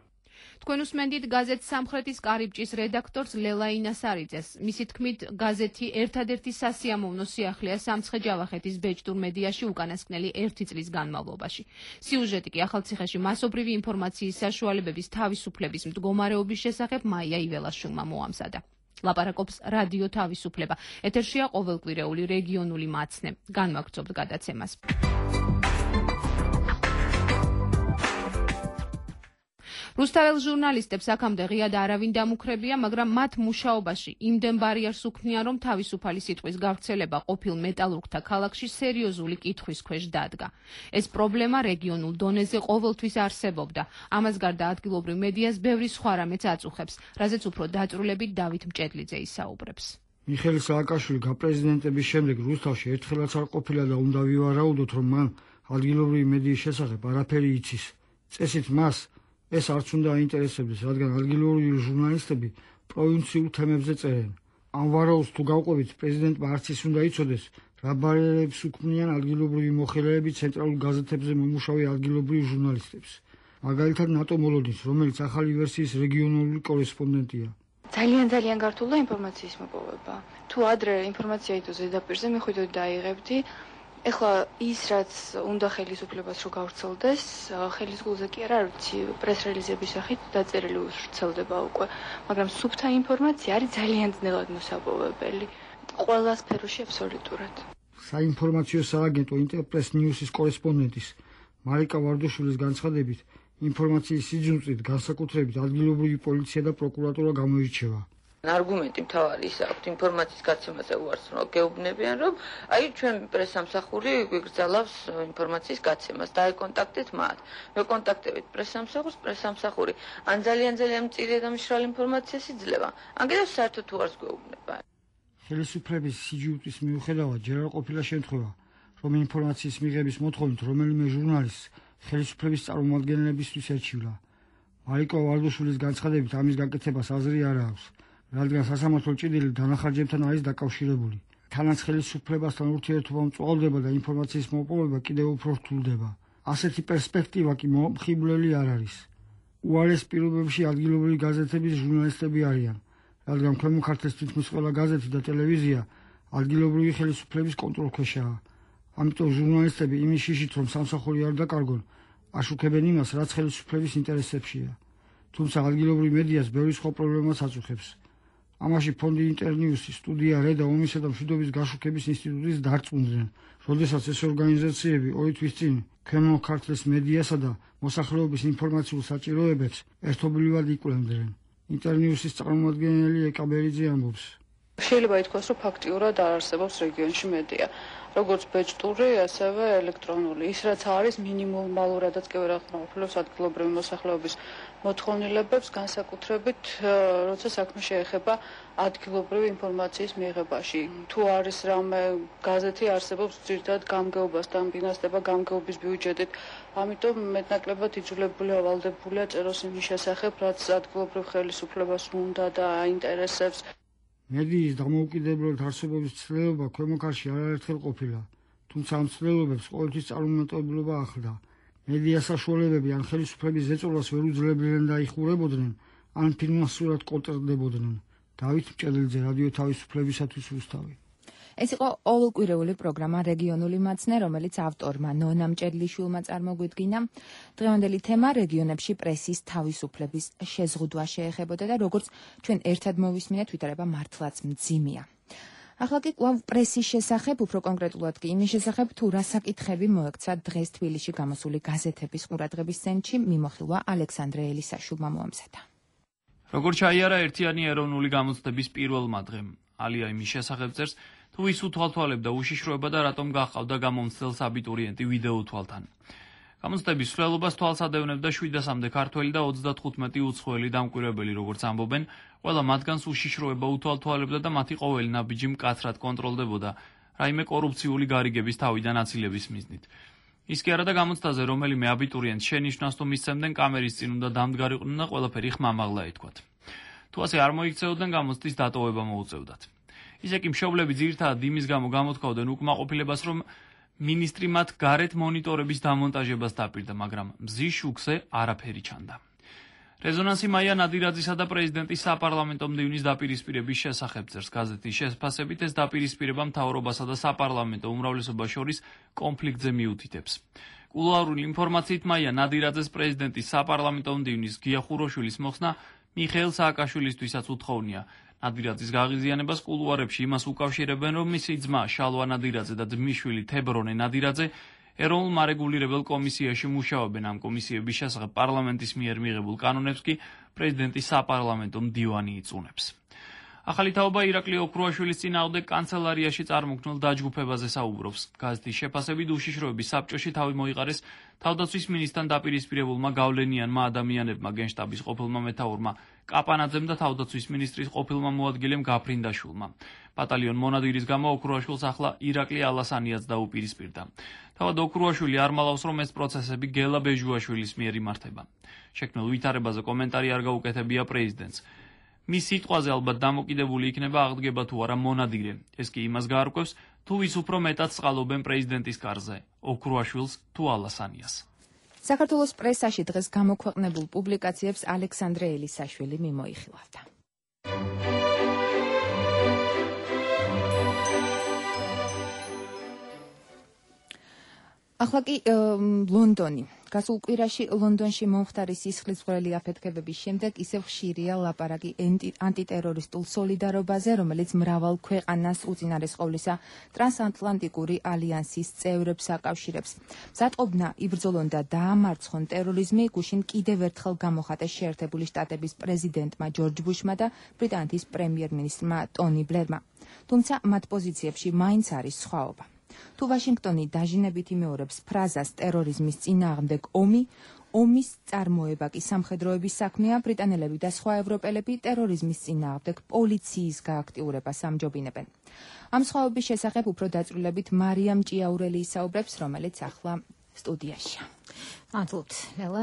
R: თქვენ უსმენდით გაზეთ სამხრეთის კარიბჭის რედაქტორს ლელა ინასარიძეს. მისი თქმით, გაზეთი ერთადერთი სასიამოვნო სიახლეა სამცხე-ჯავახეთის ბეჭდურ მედიაში უკანასკნელი 1 წლის განმავლობაში. სიუჟეტი კი ახალციხეში მასობრივი ინფორმაციის საშუალებების თავისუფლების მდგომარეობის შესახებ მაია იველაშვილმა მოამზადა. ლაპარაკობს რადიო თავისუფლება. ეთერშია ყოველკვირეული რეგიონული მაცნე. განვაგრძობთ გადაცემას. რუსთაველ ჟურნალისტებს აქამდე ღიად არავინ დამუქრებია, მაგრამ მათ მუშაობაში იმდენ ბარიერს უქმნიან, რომ თავისუფალი სიტყვის გავრცელება ყოფილ მეტალურგთა ქალაქში სერიოზული კითხვის ქვეშ დადგა. ეს პრობლემა რეგიონულ დონეზე ყოველთვის არსებობდა. ამას გარდა ადგილობრივ მედიას ბევრი სხვა რამეც აწუხებს, რაზეც უფრო დაწვრილებით დავით მჭედლიძე ისაუბრებს.
U: მიხეილ სააკაშვილი გაპრეზიდენტების შემდეგ რუსთავში ერთხელაც არ ყოფილა და უნდა ვივარაუდოთ, რომ მან ადგილობრივი მედიის შესახებ არაფერი იცის. წესით მას ეს არც უნდა აინტერესებდეს, რადგან ადგილობრივი ჟურნალისტები პროვინციულ თემებზე წერენ. ამ ვარაუდს თუ გავყვებით, პრეზიდენტმა არც ის უნდა იცოდეს, რა ბარიერებს უქმნიან ადგილობრივი მოხელეები ცენტრალურ გაზეთებზე მომუშავე ადგილობრივ ჟურნალისტებს. მაგალითად ნატო მოლოდინს, რომელიც ახალი ვერსიის რეგიონული კორესპონდენტია.
V: ძალიან გართულდა ინფორმაციის მოპოვება. თუ ადრე ინფორმაცია იდო ზედაპირზე, მე ხვიდოდ დაიღებდი. ეხლა ის რაც უნდა ხელისუფლებას რო გავრცელდეს, ხელისგულზე კი არა, ვიცი, პრეს-რელიზების სახით დაწერილი ვრცელდება უკვე, მაგრამ სუფთა ინფორმაცია არის ძალიან ძნელად მოსაპოვებელი. ყველა სფეროში აბსოლუტურად.
U: საინფორმაციო სააგენტო ინტერპრეს ნიუსის კორესპონდენტის მარიკა ვარდუშვილის განცხადებით, ინფორმაციის სიძუნწით განსაკუთრებით ადგილობრივი პოლიცია და პროკურატურა გამოირჩევა.
W: არგუმენტი მთავარი ის აქვს ინფორმაციის გაცემაზე უარს რომ გეუბნებიან რომ აი ჩვენ პრესამსახური გვიგრძელავს ინფორმაციის გაცემას და აკონტაქტეთ მათ მეკონტაქტებით პრესამსახური ან ძალიან მწირე და მშრალი ინფორმაციას იძლევა ან კიდევ საერთოდ უარს გვეუბნება.
U: ხელისუფლების სიჯუტის მიუხედავად ჯერ არ ყოფილა შემთხვევა რომ ინფორმაციის მიღების მოთხოვნით რომელიმე ჟურნალისტს ხელისუფლების წარმომადგენლებისთვის ერჩივლა. მარიკა ვარდუშვილის განცხადებით ამის გაკეთებას აზრი არ აქვს. რადგან სასამართლო ჭიდილი დანახარჯებთან არის დაკავშირებული. თანაც ხელისუფლებასთან ურთიერთობა მწვალდება და ინფორმაციის მოპოვება კიდევ უფრო რთულდება. ასეთი პერსპექტივა კი მომხიბვლელი არ არის. უარეს პირობებში ადგილობრივი გაზეთების ჟურნალისტები არიან, რადგან ქვემო ქართლის თითქმის ყველა გაზეთი და ტელევიზია ადგილობრივი ხელისუფლების კონტროლქვეშაა. ამიტომ ჟურნალისტები იმის შიშით, რომ სამსახური არ დაკარგონ, აშუქებენ იმას, რაც ხელისუფლების ინტერესებშია. თუმცა ადგილობრივ მედიას ბევრი სხვა პრობლემას აწუხებს. ამაში ფონდი ინტერნიუსი, სტუდია რედა ომისა და მშვიდობის გაშუქების ინსტიტუტის დარწმუნდნენ, როდესაც ეს ორგანიზაციები 2 თვის წინ ქვემო ქართლის მედიასა და მოსახლეობის ინფორმაციულ საჭიროებებს ერთობლივად იკვლევდნენ. ინტერნიუსის წარმომადგენელი ეკაბერიძე ამბობს.
B: შეიძლება ითქვას, რომ ფაქტიურად არ არსებობს რეგიონში მედია, როგორც ბეჭდური, ასევე ელექტრონული. ის რაც არის მინიმალურადაც კი ვერ ახმოვანებს ადგილობრივი მოსახლეობის მოთხოვნილებებს, განსაკუთრებით, როცა საქმე შეეხება ადგილობრივი ინფორმაციის მიღებაში. თუ არის რამე გაზეთი არსებობს ძირითადად გამგეობასთან, ფინანსდება გამგეობის ბიუჯეტით, ამიტომ მეტნაკლებად იძულებულია ვალდებულია წეროს იმის შესახებ, რაც ადგილობრივ ხელისუფლებას უნდა და აინტერესებს.
U: მედიის დამოუკიდებლად არსებობის ცდილობა ქვემო ქართლში არაერთხელ ყოფილა, თუმცა ამ ცდილობებს ყოველთვის წარუმატებლობა ახლდა. მედია საშუალებები ან ხელისუფლების ზეწოლას ვერ უძლებდნენ და იხურებოდნენ, ან ფინანსურად კონტრდებოდნენ. დავით მჭედლიძე, რადიო თავისუფლებისათვის რუსთავი.
A: ეს იყო ყოველკვირეული პროგრამა რეგიონული მაცნე, რომელიც ავტორმა ნონა მჭედლიშვილმა წარმოგვიდგინა. დღევანდელი თემა რეგიონებში პრესის თავისუფლების შეზღუდვა შეეხებოდა და როგორც ჩვენ ერთად მოვისმინეთ, ვითარება მართლაც მძიმეა. ახლა კი კვლავ პრესის შესახებ, უფრო კონკრეტულად კი იმის შესახებ, თუ რა საკითხები მოექცა დღეს თბილისში გამოსული გაზეთების ყურადღების ცენტრში, მიმოხილვა ალექსანდრე ელისაშვილმა მოამზადა.
D: როგორც ჩაიარა ერთიანი ეროვნული გამოცდების პირველმა დღემ, ალია იმის შესახებ წერს, თუ ის უთვალთვალებდა უშიშროება და რატომ გაჰყავდა გამომცდელს აბიტურიენტი ვიდეო თვალთან. გამოცდების მსვლელობას თვალს ადევნებდა 700-მდე ქართველი და 35 უცხოელი დამკვირვებელი, როგორც ამბობენ, ყველა მათგანს უშიშროება უთვალთვალებდა და მათი ყოველი ნაბიჯი მკაცრად კონტროლდებოდა, რაიმე კორუფციული გარიგების თავიდან აცილების მიზნით. ის კი არა და გამოცდაზე რომელიმე აბიტურიენტს შენიშვნას თუ მისცემდნენ, კამერის წინ უნდა დამდგარიყვნენ და ყველაფერი ხმამაღლა ეთქვათ. თუ ასე არ მოიქცეოდნენ, გამოცდის დატოვება მოუწევდათ. ისე კი მშობლები ძირითადად იმის გამო გამოთქვავდნენ უკმაყოფილებას, რომ მინისტრი მათ გარეთ მონიტორების დამონტაჟებას დაპირდა, მაგრამ მზის შუქზე არაფერი ჩანდა. რეზონანსი მაია ნადირაძისა და პრეზიდენტის საპარლამენტო მდივნის დაპირისპირების შესახებ წერს გაზეთის შესფასებით, ეს დაპირისპირება მთავრობასა და საპარლამენტო უმრავლესობას შორის კონფლიქტზე მიუთითებს. კულუარული ინფორმაციით მაია ნადირაძეს პრეზიდენტის საპარლამენტო მდივნის გია ხუროშვილის მოხსნა მიხეილ სააკაშვილისთვისაც უთხოვნია. ნადირაძის გაღიზიანებას კულუარებში იმას უკავშირებენ, რომ მისი ძმა შალვა ნადირაძე და ძმისშვილი თებრონე ნადირაძე ეროვნულ მარეგულირებელ კომისიაში მუშაობენ. ამ კომისიების შესახებ პარლამენტის მიერ მიღებულ კანონებს კი პრეზიდენტის საპარლამენტო მდივანი იწუნებს. ახალი თაობა ირაკლი ოქრუაშვილის წინააღმდეგ კანცელარიაში წარმოქმნილ დაჯგუფებაზე საუბრობს. გაზეთის შეფასებით უშიშროების საბჭოში თავი მოიყარეს თავდაცვის მინისტრთან დაპირისპირებულმა გავლენიანმა ადამიანებმა, გენშტაბის ყოფილმა მეთაურმა კაპანაძემ და თავდაცვის მინისტრის ყოფილმა მოადგილემ გაფრინდაშვილმა. ბატალიონ მონადირის გამო ოქრუაშვილს ახლა ირაკლი ალასანიაც დაუპირისპირდა. თავად ოქრუაშვილი არ მალავს, რომ ეს პროცესები გელა ბეჟუაშვილის მიერ იმართება. შექმნილ ვითარებაზე კომენტარი არ გაუკეთებია პრეზიდენტს. მის სიტყვაზე ალბათ დამოკიდებული იქნება აღდგება თუ არა მონადირე. ეს კი იმას გაარკვევს, თუ ვის უფრო მეტად სყალობენ პრეზიდენტის კარზე, ოქრუაშვილს თუ ალასანიას.
A: საქართველოს პრესაში დღეს გამოქვეყნებულ პუბლიკაციებს ალექსანდრე ელისაშვილი მიმოიხილავდა. ახლა კი ლონდონი. გასულ კვირაში ლონდონში მომხდარი სისხლისმღვრელი აფეთქებების შემდეგ ისევ ხშირია ლაპარაკი ანტიტერორისტულ სოლიდარობაზე, რომელიც მრავალ ქვეყანას უწინარესყავლისა ტრანსატლანტიკური ალიანსის წევრებს აკავშირებს. მზადყოფნა იბრძოლონ და დაამარცხონ ტერორიზმი გუშინ კიდევ ერთხელ გამოხატეს შეერთებული შტატების პრეზიდენტმა ჯორჯ ბუშმა და ბრიტანეთის პრემიერ-მინისტრმა ტონი ბლერმა. თუმცა მათ პოზიციებში მაინც არის სხვაობა. თუ ვაშინგტონი დაჟინებით იმეორებს ფრაზას ტერორიზმის წინააღმდეგ ომის წარმოება კი სამხედროების საქმეა, ბრიტანელები და სხვა ევროპელები ტერორიზმის წინააღმდეგ პოლიციის გააქტიურებას ამჯობინებენ. ამ სხვაობის შესახებ უფრო დაწვრილებით მარიამ ჭიაურელი ისაუბრებს, რომელიც ახლა სტუდიაშია.
E: მადლობთ, ნელა.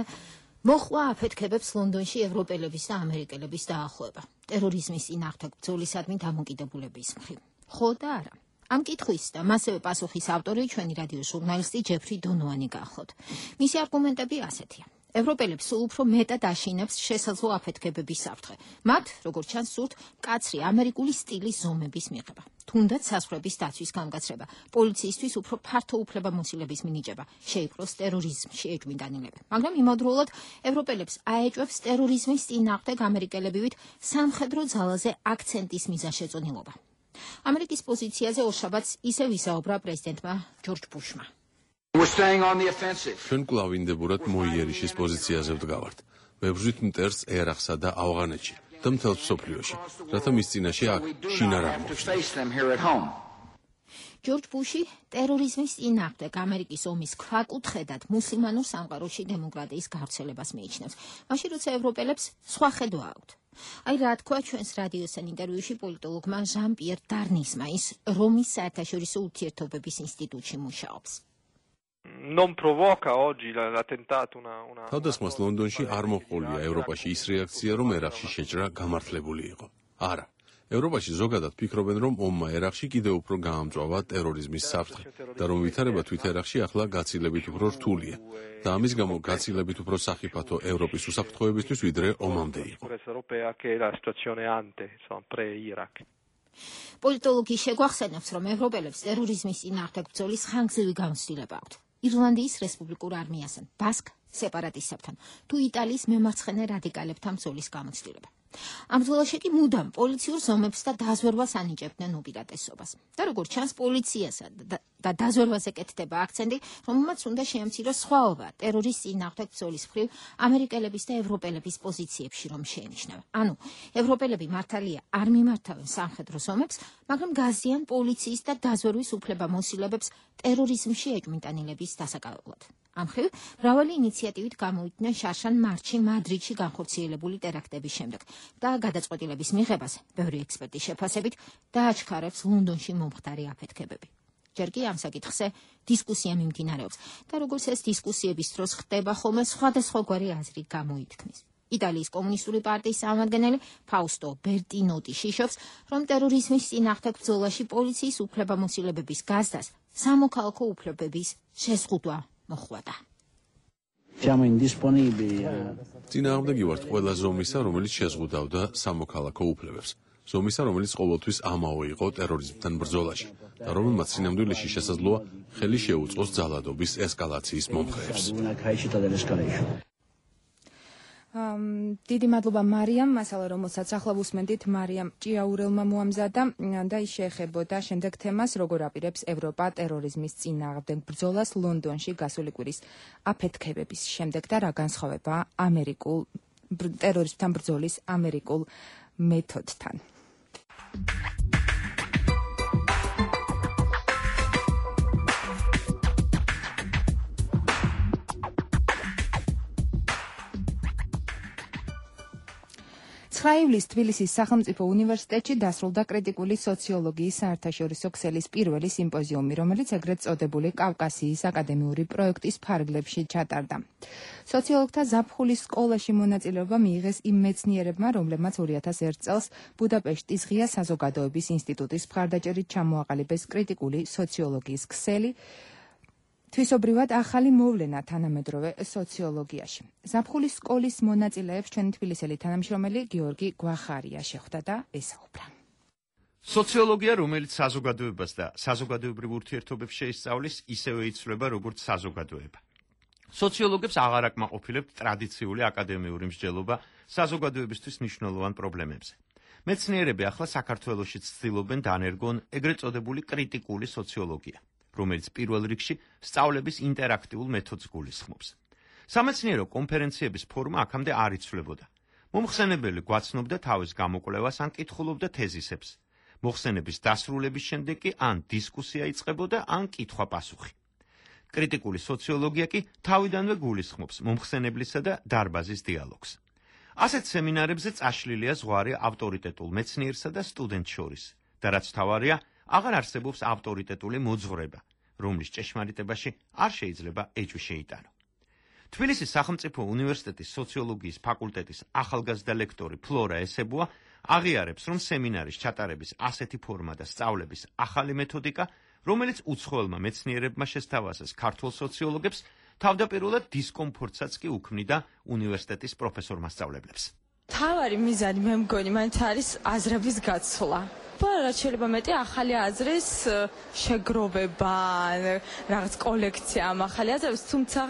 E: მოხვა აფეთქებებს ლონდონში ევროპელების და ამერიკელების დაახლოება. ტერორიზმის წინააღმდეგ ბრძოლისადმი დამოკიდებულების მხრივ. ხო და არა. ამ კითხვის და მასევე პასუხის ავტორი ჩვენი რადიო ჟურნალისტი ჯეფრი დონოანი გახლავთ. მისი არგუმენტები ასეთია. ევროპელებს სულ უფრო მეტად აშინებს შესაძლო აფეთქებების საფრთხე. მათ, როგორც ჩანს, სურთ მკაცრი ამერიკული სტილის ზომების მიღება. თუნდაც საზღვრების დაცვის გამგაცრება, პოლიციისთვის უფრო ფართო უფლებამოსილების მინიჭება, შეიპყროს ტერორიზმში ეჭვმიტანილები. მაგრამ იმავდროულად ევროპელებს აეჭვებს ტერორიზმის წინააღმდეგ ამერიკელებივით სამხედრო ძალაზე აქცენტის მიზანშეწონილობა. ამერიკის პოზიციაზე ორშაბათს ისევ ისაუბრა პრეზიდენტმა ჯორჯ ბუშმა.
J: ჩვენ კვლავ ინდებურად მოიერიშის პოზიციაზე ვდგავართ. ვებრძვით მტერს ერახსა და ავღანეთში და მთელ მსოფლიოში, რათა მის წინაშე აქ შინარ აღმოჩნდეთ.
E: ჯორჯ ბუში ტერორიზმის წინააღმდეგ ამერიკის ომის ქვაკუთხედად მუსლიმანურ სამყაროში დემოკრატიის გავრცელებას მიიჩნევს. მაშინ როცა ევროპელებს სხვა ხედვა აქვთ. აი რა თქვა ჩვენს რადიოსთან ინტერვიუში პოლიტოლოგმა ჟან-პიერ დარნისმა, ის რომის საერთაშორისო ურთიერთობების ინსტიტუტში მუშაობს.
J: Non provoca oggi l'attentato una თავდასხმას ლონდონში არ მოჰყოლია ევროპაში ის რეაქცია, რომ ერახში შეჭრა გამართლებული იყო. არა. ევროპაში ზოგადად ფიქრობენ, რომ ომმა ერახში კიდევ უფრო გაამწვავა ტერორიზმის საფრთხე და რომ ვითარება თვით ერახში ახლა გაცილებით უფრო რთულია და ამის გამო გაცილებით უფრო სახიფათო ევროპის უსაფრთხოებისთვის ვიდრე ომამდე იყო.
E: პოლიტოლოგი შეგვახსენებს, რომ ევროპელებს ტერორიზმის წინააღმდეგ ბრძოლის ხანგრძლივი გამოცდილება აქვთ. ირლანდიის რესპუბლიკურ არმიასთან, ბასკ სეპარატისტებთან, თუ იტალიის მემარცხენე რადიკალებთან ბრძოლის გამოცდილება. ამ ბრძოლაში კი მუდამ პოლიციურ ზომებს და დაზვერვას ანიჭებდნენ უპირატესობას. და როგორც ჩანს, პოლიციასა და დაზვერვაზე კეთდება აქცენტი, რომელმაც უნდა შეემციროს სხვაობა ტერორიზმის წინააღმდეგ ბრძოლის მხრივ ამერიკელების და ევროპელების პოზიციებში, რომ შეენიშნება. ანუ, ევროპელები მართალია არ მიმართავენ სამხედრო ზომებს, მაგრამ გაზიან პოლიციის და დაზვერვის უფლებამოსილებებს ტერორიზმში ეჭვმიტანილების დასაკავებლად. ამ მხრივ, მრავალი ინიციატივით გამოიყვნენ შარშან მარტში მადრიდში განხორციელებული ტერაქტების შემდეგ და გადაწყვეტილების მიღებას, ბევრი ექსპერტის შეფასებით, დააჩქარებს ლონდონში მომხდარი აფეთქებები. ჯერ კი ამ საკითხზე დისკუსია მიმდინარეობს და როგორც ეს დისკუსიების დროს ხდება ხოლმე სხვადასხვაგვარი აზრი გამოითქმის. იტალიის კომუნისტური პარტიის წარმომადგენელი ფაუსტო ბერტინოტი შიშობს, რომ ტერორიზმის წინააღმდეგ ბრძოლაში პოლიციის უფლებამოსილებების გაზდას სამოქალაქო უფლებების შეზღუდვა მოხვდა.
J: წინააღმდეგი ვართ ყველა ზომისა, რომელიც შეზღუდავდა სამოქალაქო უფლებებს. ზომისა, რომელიც ყოველთვის ამაო იყო ტერორიზმთან ბრძოლაში და რომელმაც სინამდვილეში შესაძლოა ხელი შეუწყოს ძალადობის ესკალაციის მომხრეებს.
A: დიდი მადლობა მარიამ, მასალა რომელსაც ახლა ვუსმენდით მარიამ ჭიაურელმა მოამზადა და ის შეეხებოდა შემდეგ თემას, როგორ აპირებს ევროპა ტერორიზმის წინააღმდეგ ბრძოლას ლონდონში გასული კვირის აფეთქებების შემდეგ და რა განსხვავებაა ამერიკულ ტერორიზმთან ბრძოლის ამერიკულ მეთოდთან. ივლისს თბილისის სახელმწიფო უნივერსიტეტში დასრულდა კრიტიკული სოციოლოგიის საერთაშორისო ქსელის პირველი სიმპოზიუმი, რომელიც ეგრეთ წოდებული კავკასიის აკადემიური პროექტის ფარგლებში ჩატარდა. სოციოლოგთა ზაფხულის სკოლაში მონაწილეობა მიიღეს იმ მეცნიერებმა, რომლებმაც 2001 წელს ბუდაპეშტის ღია საზოგადოების ინსტიტუტის მხარდაჭერით ჩამოაყალიბეს კრიტიკული სოციოლოგიის ქსელი, თვისობრივად ახალი მოვლენა თანამედროვე სოციოლოგიაში. ზაფხულის სკოლის მონაწილეებს ჩვენი თბილისელი თანამშრომელი გიორგი გვახარია შეხვდა და ესაუბრა.
K: სოციოლოგია, რომელიც საზოგადოებას და საზოგადოებრივ ურთიერთობებს შეისწავლის, ისევე იცვლება როგორც საზოგადოება. სოციოლოგებს აღარ აკმაყოფილებთ ტრადიციული აკადემიური მსჯელობა საზოგადოებისთვის მნიშვნელოვან პრობლემებზე. მეცნიერები ახლა საქართველოშიც ცდილობენ დანერგონ ეგრეთ წოდებული კრიტიკული სოციოლოგია, რომელიც პირველ რიგში სწავლების ინტერაქტიულ მეთოდს გულისხმობს. სამეცნიერო კონფერენციების ფორმა აქამდე არ იცვლებოდა. მომხსენებელი გვაცნობდა თავის გამოკვლევას ან კითხულობდა თეზისებს. მოხსენების დასრულების შემდეგ კი ან დისკუსია იწყებოდა, ან კითხვა-პასუხი. კრიტიკული სოციოლოგია კი თავიდანვე გულისხმობს მომხსენებლისა და დარბაზის დიალოგს. ასეთ სემინარებზე წაშლილია ზღვარი ავტორიტეტულ მეცნიერსა და სტუდენტს შორის და რაც თავარია, აღარ არსებობს ავტორიტეტული მოძღვრება, რომლის ჭეშმარიტებაში არ შეიძლება ეჭვი შეიტანო. თბილისის სახელმწიფო უნივერსიტეტის სოციოლოგიის ფაკულტეტის ახალგაზრდა ლექტორი ფლორა ესებუა აღიარებს, რომ სემინარის ჩატარების ასეთი ფორმა და სწავლების ახალი მეთოდიკა, რომელიც უცხოელმა მეცნიერებმა შესთავაზეს ქართულ სოციოლოგებს, თავდაპირველად დისკომფორტსაც კი უქმნიდა უნივერსიტეტის პროფესორ-მასწავლებლებს.
F: თავარი მიზანი მე მგონი მაინც არის აზრების გაცვლა. რაც შეიძლება მეტი ახალი აზრის შეგროვება, რაღაც კოლექცია ამ ახალი აზრების, თუმცა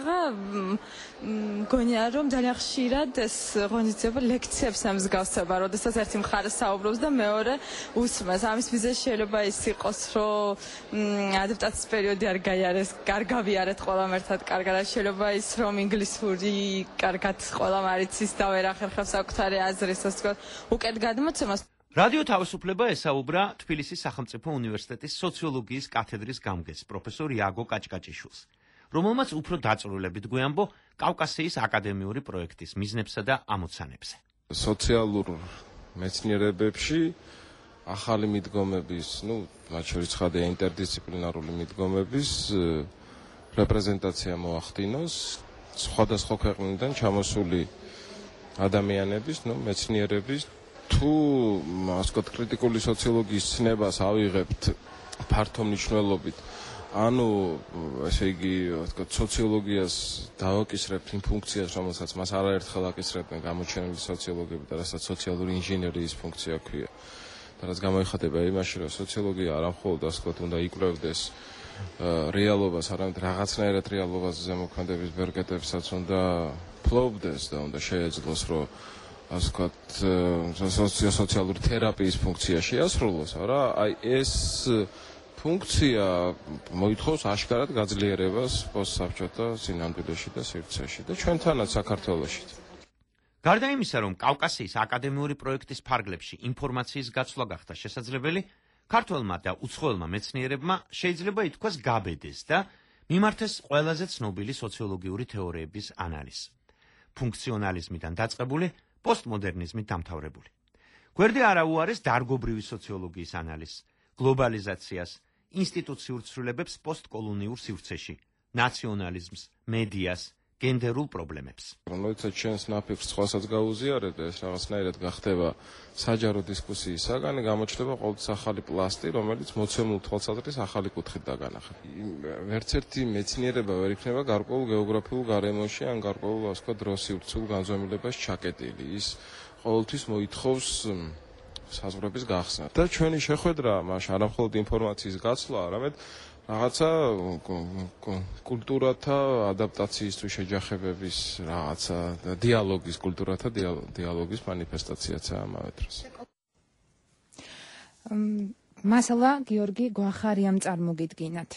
F: მგონია რომ ძალიან ხშირად ეს ღონისძიება ლექციებს ამსგავსება, როდესაც ერთი მხარე საუბრობს და მეორე უსმენს. ამის მიზეზი შეიძლება ის იყოს, რომ ადაპტაციის პერიოდი არ გაიარეს, არ გავიარეთ ყველამ ერთად კარგად, შეიძლება ის რომ ინგლისური კარგად ყველამ არ იცის და ვერ ახერხებს საკუთარი აზრის, ასე ვთქვათ, უკეთ გადმოცემას.
K: რადიო თავისუფლება ესაუბრა თბილისის სახელმწიფო უნივერსიტეტის სოციოლოგიის კათედრის გამგეს პროფესორ იაგო კაჭკაჭიშვილს, რომელმაც უფრო დაწვრილებით გვეამბო კავკასიის აკადემიური პროექტის მიზნებსა და ამოცანებზე.
I: სოციალურ მეცნიერებებში ახალი მიდგომების, მათ შორის ცხადია ინტერდისციპლინარული მიდგომების რეპრეზენტაცია მოახდინოს სხვადასხვა ქვეყნიდან ჩამოსული ადამიანების, მეცნიერების. თუ ასე ვთქვათ, კრიტიკული სოციოლოგიის ცნებას ავიღებთ ფართო მნიშვნელობით, ანუ ესე იგი, ვთქვათ, სოციოლოგიას დავაკისრებთ იმ ფუნქციას, რომელსაც მას არაერთხელ აკისრებდნენ გამოჩენილი სოციოლოგები და რასაც სოციალური ინჟინერიის ფუნქცია ქვია. და რაც გამოიხატება იმაში, რომ სოციოლოგია არა მხოლოდ ასე ვთქვათ, უნდა იკვლევდეს რეალობას, არამედ რაღაცნაირად რეალობას ზემოქმედების ბერკეტებსაც უნდა ფლობდეს და უნდა შეეძლოს, რომ ასე ვთქვათ, სოციალური თერაპიის ფუნქცია შეასრულოს, არა, აი ეს ფუნქცია მოითხოვს აშკარად გაძლიერებას პოსტსაბჭოთა სინამდვილეში და სივრცეში და ჩვენთანაც საქართველოშიც.
K: გარდა იმისა, რომ კავკასიის აკადემიური პროექტის ფარგლებში ინფორმაციის გაცვლა გახდა შესაძლებელი, ქართველმა და უცხოელმა მეცნიერებმა შეიძლება ითქვას გაბედეს და მიმართეს ყველაზე ცნობილი სოციოლოგიური თეორიების ანალიზს. ფუნქციონალიზმიდან დაწყებული პოსტმოდერნიზმით დამთავრებული. გვერდი არ აუარეს დარგობრივი სოციოლოგიის ანალიზს, გლობალიზაციას, ინსტიტუციურ ცვლილებებს პოსტკოლონიურ სივრცეში, ნაციონალიზმს, მედიას, გენდერულ პრობლემებს.
I: როდესაც ჩვენს ნაფიქრს სხვასაც გაუზიარებ და ეს რაღაცნაირად გახდება საჯარო დისკუსიის საგანი, გამოჩნდება ყოველთვის ახალი პლასტი, რომელიც მოცემულ თვალსაზრისით ახალი კუთხით დაგანახება. ვერც ერთი მეცნიერება ვერ იქნება გარკვეულ გეოგრაფიულ გარემოში ან გარკვეულ, ასე ვთქვათ, დროსივრცულ განზომილებას ჩაკეტილი. ის ყოველთვის მოითხოვს საზღვრების გახსნა. და ჩვენი შეხვედრა მაშინ არა მხოლოდ ინფორმაციის გაცვლა, არამედ რაღაცა კულტურათა ადაპტაციისთვის შეჯახებების რაღაცა დიალოგის კულტურათა დიალოგის მანიფესტაციაცაა ამავე დროს.
A: მასალა გიორგი გვახარიამ წარმოგიდგინათ.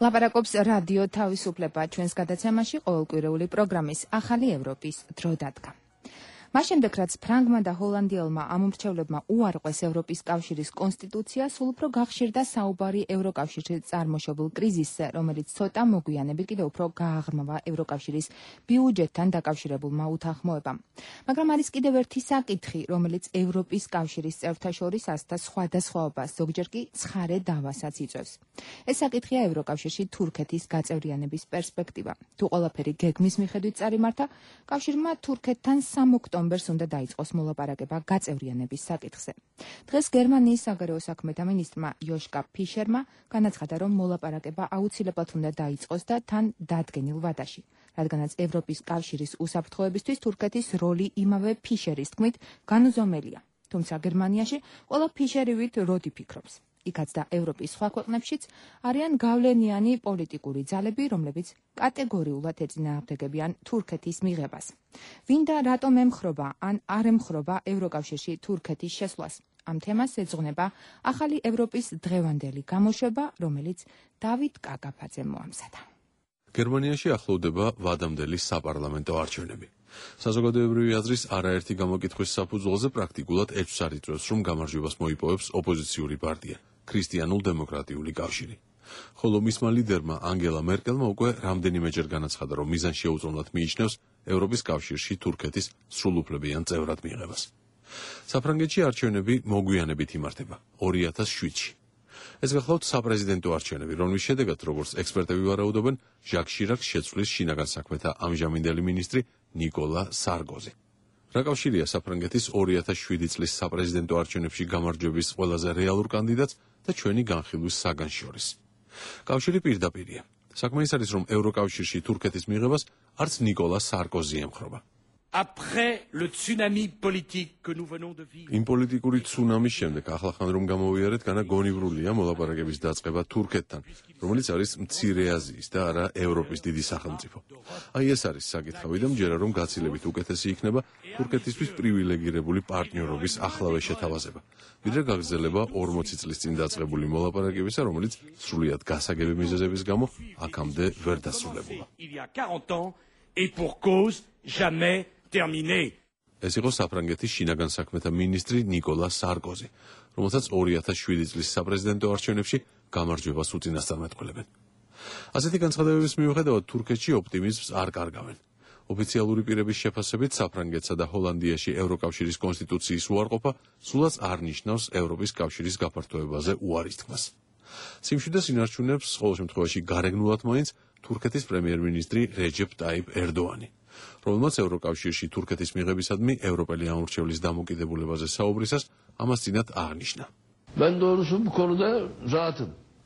A: ლაპარაკობს რადიო თავისუფლება ჩვენს გადაცემაში ყოველკვირეული პროგრამის ახალი ევროპის დრო დადგა. მას შემდეგ, რაც ფრანგმა და ჰოლანდიელმა ამომრჩევლებმა უარყვეს ევროპის კავშირის კონსტიტუცია, სულ უფრო გახშირდა საუბარი ევროკავშირში წარმოშობილ კრიზისზე, რომელიც ცოტა მოგვიანებით კიდევ უფრო გააღრმავა ევროკავშირის ბიუჯეტთან დაკავშირებულმა უთანხმოებამ. მაგრამ არის კიდევ ერთი საკითხი, რომელიც ევროპის კავშირის წევრთა შორის ასთა სხვადასხვაობას, ზოგჯერ კი ცხარე დავასაც იწვევს. ეს საკითხია ევროკავშირში თურქეთის გაწევრიანების პერსპექტივა. თუ ყველაფერი გეგმის მიხედვით წარიმართა, კავშირმა თურქეთთან 3 ოქტომბერს უნდა დაიწყოს მოლაპარაკება გაწევრიანების საკითხზე. დღეს გერმანიის საგარეო საქმეთა მინისტრმა იოშკა ფიშერმა განაცხადა, რომ მოლაპარაკება აუცილებლად უნდა დაიწყოს და თან დადგენილ ვადაში, რადგანაც ევროპის კავშირის უსაფრთხოებისთვის თურქეთის როლი იმავე ფიშერის თქმით განუზომელია. თუმცა გერმანიაში ყველა ფიშერივით როდი ფიქრობს. იქაც და ევროპის სხვა ქვეყნებშიც არიან გავლენიანი პოლიტიკური ძალები, რომლებიც კატეგორიულად ეწინააღმდეგებიან თურქეთის მიღებას. ვინ და რატომ ემხრობა ან არ ემხრობა ევროკავშირში თურქეთის შესვლას? ამ თემას ეძღვნება ახალი ევროპის დღევანდელი გამოშვება, რომელიც დავით კაკაფაძემ მოამზადა.
J: გერმანიაში ახლოვდება ვადამდელი საპარლამენტო არჩევნები. საზოგადოებრივი აზრის არაერთი გამოკითხვის საფუძველზე პრაქტიკულად ეჭვს არ იწვევს, რომ გამარჯვებას მოიპოვებს ოპოზიციური პარტია, ქრისტიანულ-დემოკრატიული კავშირი. ხოლო მისმა ლიდერმა ანგელა მერკელმა უკვე რამდენიმეჯერ განაცხადა, რომ მიზანს შეუწოვნად მიიჩნევს ევროპის კავშირში თურქეთის სრულუფლებიან წევრად მიღებას. საფრანგეთში არჩევნები მოგვიანებით იმართება 2007-ში. ეს გახლავთ საპრეზიდენტო არჩევნები, რომლის შედეგად, როგორც ექსპერტები ვარაუდობენ, ჟაკ შირაკს შეცვლის შინაგან საქმეთა ამჟამინდელი მინისტრი ნიკოლა სარკოზი. რა კავშირია საფრანგეთის 2007 წლის საპრეზიდენტო არჩევნებში გამარჯვების ყველაზე რეალურ კანდიდატს და ჩვენი განხილვის საგანს შორის? კავშირი პირდაპირია. საქმე ის არის, რომ ევროკავშირში თურქეთის მიღებას არც ნიკოლა სარკოზი ემხრობა. იმ პოლიტიკური ცუნამის შემდეგ ახლახან რომ გამოვიარეთ, განა გონივრულია მოლაპარაკების დაწყება თურქეთთან, რომელიც არის მცირე აზიის და არა ევროპის დიდი სახელმწიფო. აი ეს არის საკითხავი და მჯერა რომ გაცილებით უკეთესი იქნება თურქეთისთვის პრივილეგირებული პარტნიორობის ახლავე შეთავაზება, ვიდრე გაგრძელება 40 წლის წინ დაწყებული მოლაპარაკებისა, რომელიც სრულიად გასაგები მიზეზების გამო აქამდე ვერ დასრულებულა. ეს იყო საფრანგეთის შინაგან საქმეთა მინისტრი ნიკოლა სარკოზი, რომელსაც 2007 წლის საპრეზიდენტო არჩევნებში გამარჯვებას უწინასწარმეტყველებენ. ასეთი განცხადებების მიუხედავად თურქეთში ოპტიმიზმს არ კარგავენ. ოფიციალური პირების შეფასებით საფრანგეთსა და ჰოლანდიაში ევროკავშირის კონსტიტუციის უარყოფა სულაც არ ნიშნავს ევროპის კავშირის გაფართოებაზე უარის თქმას. სიმშვიდეს ინარჩუნებს ყოველ შემთხვევაში გარეგნულად მაინც თურქეთის პრემიერ-მინისტრი რეჯეპ ტაიპ ერდოანი, რომელმაც ევროკავშირში თურქეთის მიღებისადმი ევროპელი ამორჩევლის დამოკიდებულებაზე საუბრისას ამას წინათ აღნიშნა.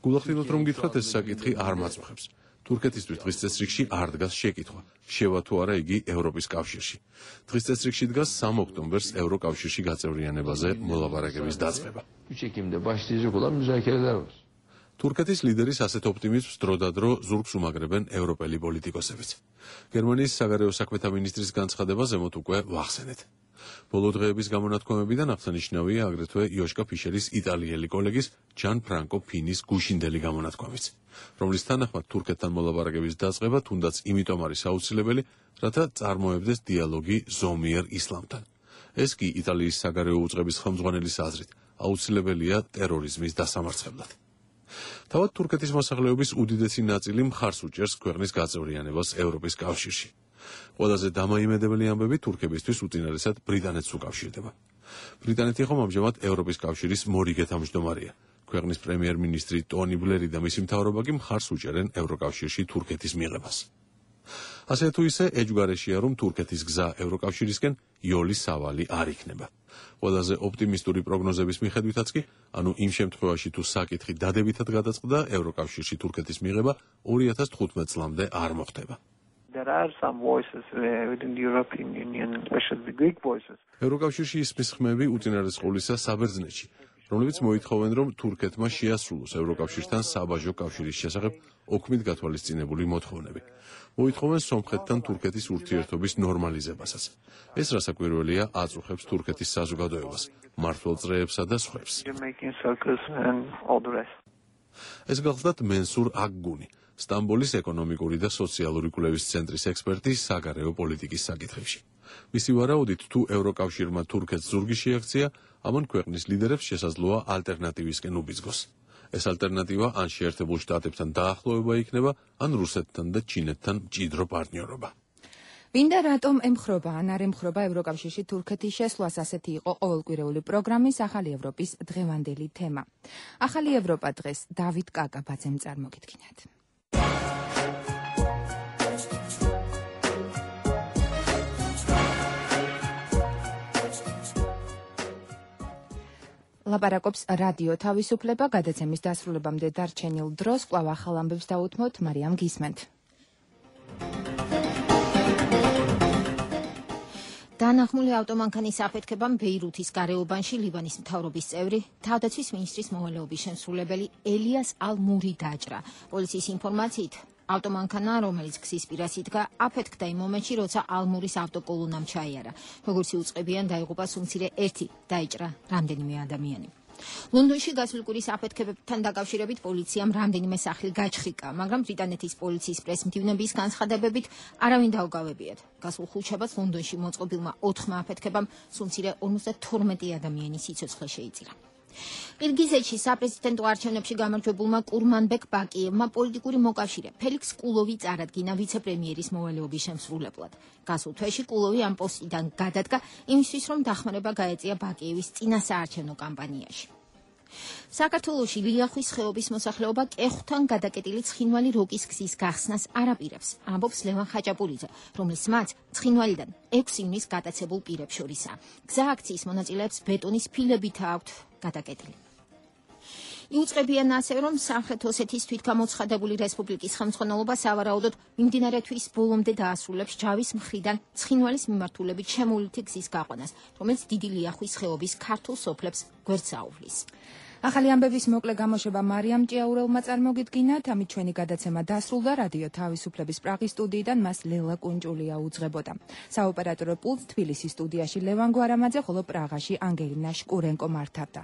J: გულახდილოთ რომ გითხრათ, ეს საკითხი არ მაწუხებს. თურქეთისთვის დღის წესრიგში არ დგას შეკითხვა, შევა თუ არა იგი ევროპის კავშირში. დღის წესრიგში დგას 3 ოქტომბერს ევროკავშირში გაწევრიანებაზე მოლაპარაკების დაწყება. თურქეთის ლიდერის ასეთ ოპტიმიზმს დროდადრო ზურგს უმაგრებენ ევროპელი პოლიტიკოსებიც. გერმანიის საგარეო საქმეთა მინისტრის განცხადება ზემოთ უკვე ვახსენეთ. ბოლო დღეების გამონათქვამებიდან აღსანიშნავია აგრეთვე იოშკა ფიშერის იტალიელი კოლეგის ჯან ფრანკო ფინის გუშინდელი გამონათქვამიც, რომლის თანახმად თურქეთთან მოლაპარაკების დაწყება თუნდაც იმიტომ არის აუცილებელი, რათა წარმოებდეს დიალოგი ზომიერ ისლამთან. ეს კი იტალიის საგარეო უწყების ხელმძღვანელის აზრით აუცილებელია ტერორიზმის დასამარცხებლად. თავად თურქეთის მოსახლეობის უდიდესი ნაწილი მხარს უჭერს ქვეყნის გაწევრიანებას ევროპის კავშირში. ყველაზე დამაიმედებელი ამბები თურქებისთვის უწინარესად ბრიტანეთს უკავშირდება. ბრიტანეთი ხომ ამჟამად ევროპის კავშირის მორიგე თავმჯდომარეა. ქვეყნის პრემიერ-მინისტრი ტონი ბლერი და მისი მთავრობა კი მხარს უჭერენ ევროკავშირში თურქეთის მიღებას. ასე თუ ისე ეჯგარეშია, რომ თურქეთის გზა ევროკავშირისკენ იოლის სავალი არ იქნება. ყველაზე ოპტიმისტური პროგნოზების მიხედვითაც კი, ანუ იმ შემთხვევაში თუ საკითხი დადებითად გადაწყდა, ევროკავშირში თურქეთის მიღება 2015 წლამდე არ მოხდება. ევროკავშირში ისმის ხმები უწინარეს ყოვლისა საბერძნეთში, რომლებიც მოითხოვენ, რომ თურქეთმა შეასრულოს ევროკავშირთან საბაჟო კავშირის შესახებ ოქმით გათვალისწინებული მოთხოვნები. მოითხოვენ სომხეთთან თურქეთის ურთიერთობის ნორმალიზებასაც. ეს რასაკვირველია აწუხებს თურქეთის საზოგადოებას, მმართველ-წრეებსა და სხვებს. ეს გახლდათ მენსურ აგგუნი, სტამბოლის ეკონომიკური და სოციალური კვლევის ცენტრის ექსპერტი საგარეო პოლიტიკის საკითხებში. მისი ვარაუდით, თუ ევროკავშირმა თურქეთს ზურგი შეაქცია, ამან ქვეყნის ლიდერებს შესაძლოა ალტერნატივისკენ უბიძგოს. ეს ალტერნატივა ან შეერთებულ შტატებთან დაახლოება იქნება, ან რუსეთთან და ჩინეთთან მჭიდრო პარტნიორობა.
A: ვინდა რატომ ემხრობა ან არ ემხრობა ევროკავშირში თურქეთის შესვლას, ასეთი იყო ყოველკვირეული პროგრამის ახალი ევროპის დღევანდელი თემა. ახალი ევროპა დღეს დავით კაკაბაძემ წარმოგიდგინათ. ლაპარაკობს რადიო თავისუფლება, გადაცემის დასრულებამდე დარჩენილ დროს კვლავ ახალ ამბებს დაუთმოთ, მარიამ გისმენთ.
E: დანახმული ავტომანქანის აფეთქებამ ბეირუთის გარეუბანში ლიბანის მთავრობის წევრი, თავდაცვის მინისტრის მოვალეობის შემსრულებელი ელიას ალ-მური დაჭრა. პოლიციის ინფორმაციით, ავტომანქანა, რომელიც გზის პირას იდგა, აფეთქდა იმ მომენტში, როცა ალ-მურის ავტოკოლონამ ჩაიარა. როგორც იუწყებიან, დაიღუპა სულ-მცირე ერთი, დაიჭრა რამდენიმე ადამიანი. ლონდონში გასული კვირის აფეთქებებთან დაკავშირებით პოლიციამ რამდენიმე სახლი გაჩხრიკა, მაგრამ ბრიტანეთის პოლიციის პრესმდივნების განცხადებებით არავინ დაუგავებიათ. გასულ ხუთშაბათს ლონდონში მოწყობილმა 4 აფეთქებამ სულ-მცირე 52 ადამიანის სიცოცხლე შეიწირა. ყირგიზეთში საპრეზიდენტო არჩევნებში გამარჯვებულმა კურმანბეკ ბაკიევმა პოლიტიკური მოკავშირე ფელიქს კულოვი წარადგინა ვიცე-პრემიერის მოვალეობის შემსრულებლად. გასულ თვეში კულოვი ამ პოსტიდან გადადგა იმისთვის, რომ დახმარება გაეწია ბაკიევის წინასაარჩევნო კამპანიაში. საქართველოში ლიახვის ხეობის მოსახლეობა კეხთან გადაკეტილი ცხინვალი როკის გზის გახსნას არ აპირებს, ამბობს ლევან ხაჭაპურიძე, რომლის მათ ცხინვალიდან 6 ივნის გატაცებულ პირებს შორისაა. გზა აქციის მონაწილეებს ბეტონის ფილებით აქვთ გადაკეტილი. იუწყებიან ასევე, რომ სამხრეთ ოსეთის თვითგამოცხადებული რესპუბლიკის ხელმძღვანელობა სავარაუდოდ მიმდინარე თვის ბოლომდე დაასრულებს ჯავის მხრიდან ცხინვალის მიმართულებით შემოვლითი გზის გაყვანას, რომელიც დიდი ლიახვის ხეობის ქართულ სოფლებს გვერდს აუვლის.
A: ახალი ამბების მოკლე გამოშვება მარიამ ჭიაურელმა წარმოგიდგინათ, ამით ჩვენი გადაცემა დასრულდა. რადიო თავისუფლების პრაღის სტუდიიდან მას ლელა კუნჭულია უძღებოდა. საოპერატორო პულტს თბილისის სტუდიაში ლევან გვარამაძე, ხოლო პრაღაში ანგელინა შკურენკო მართავდა.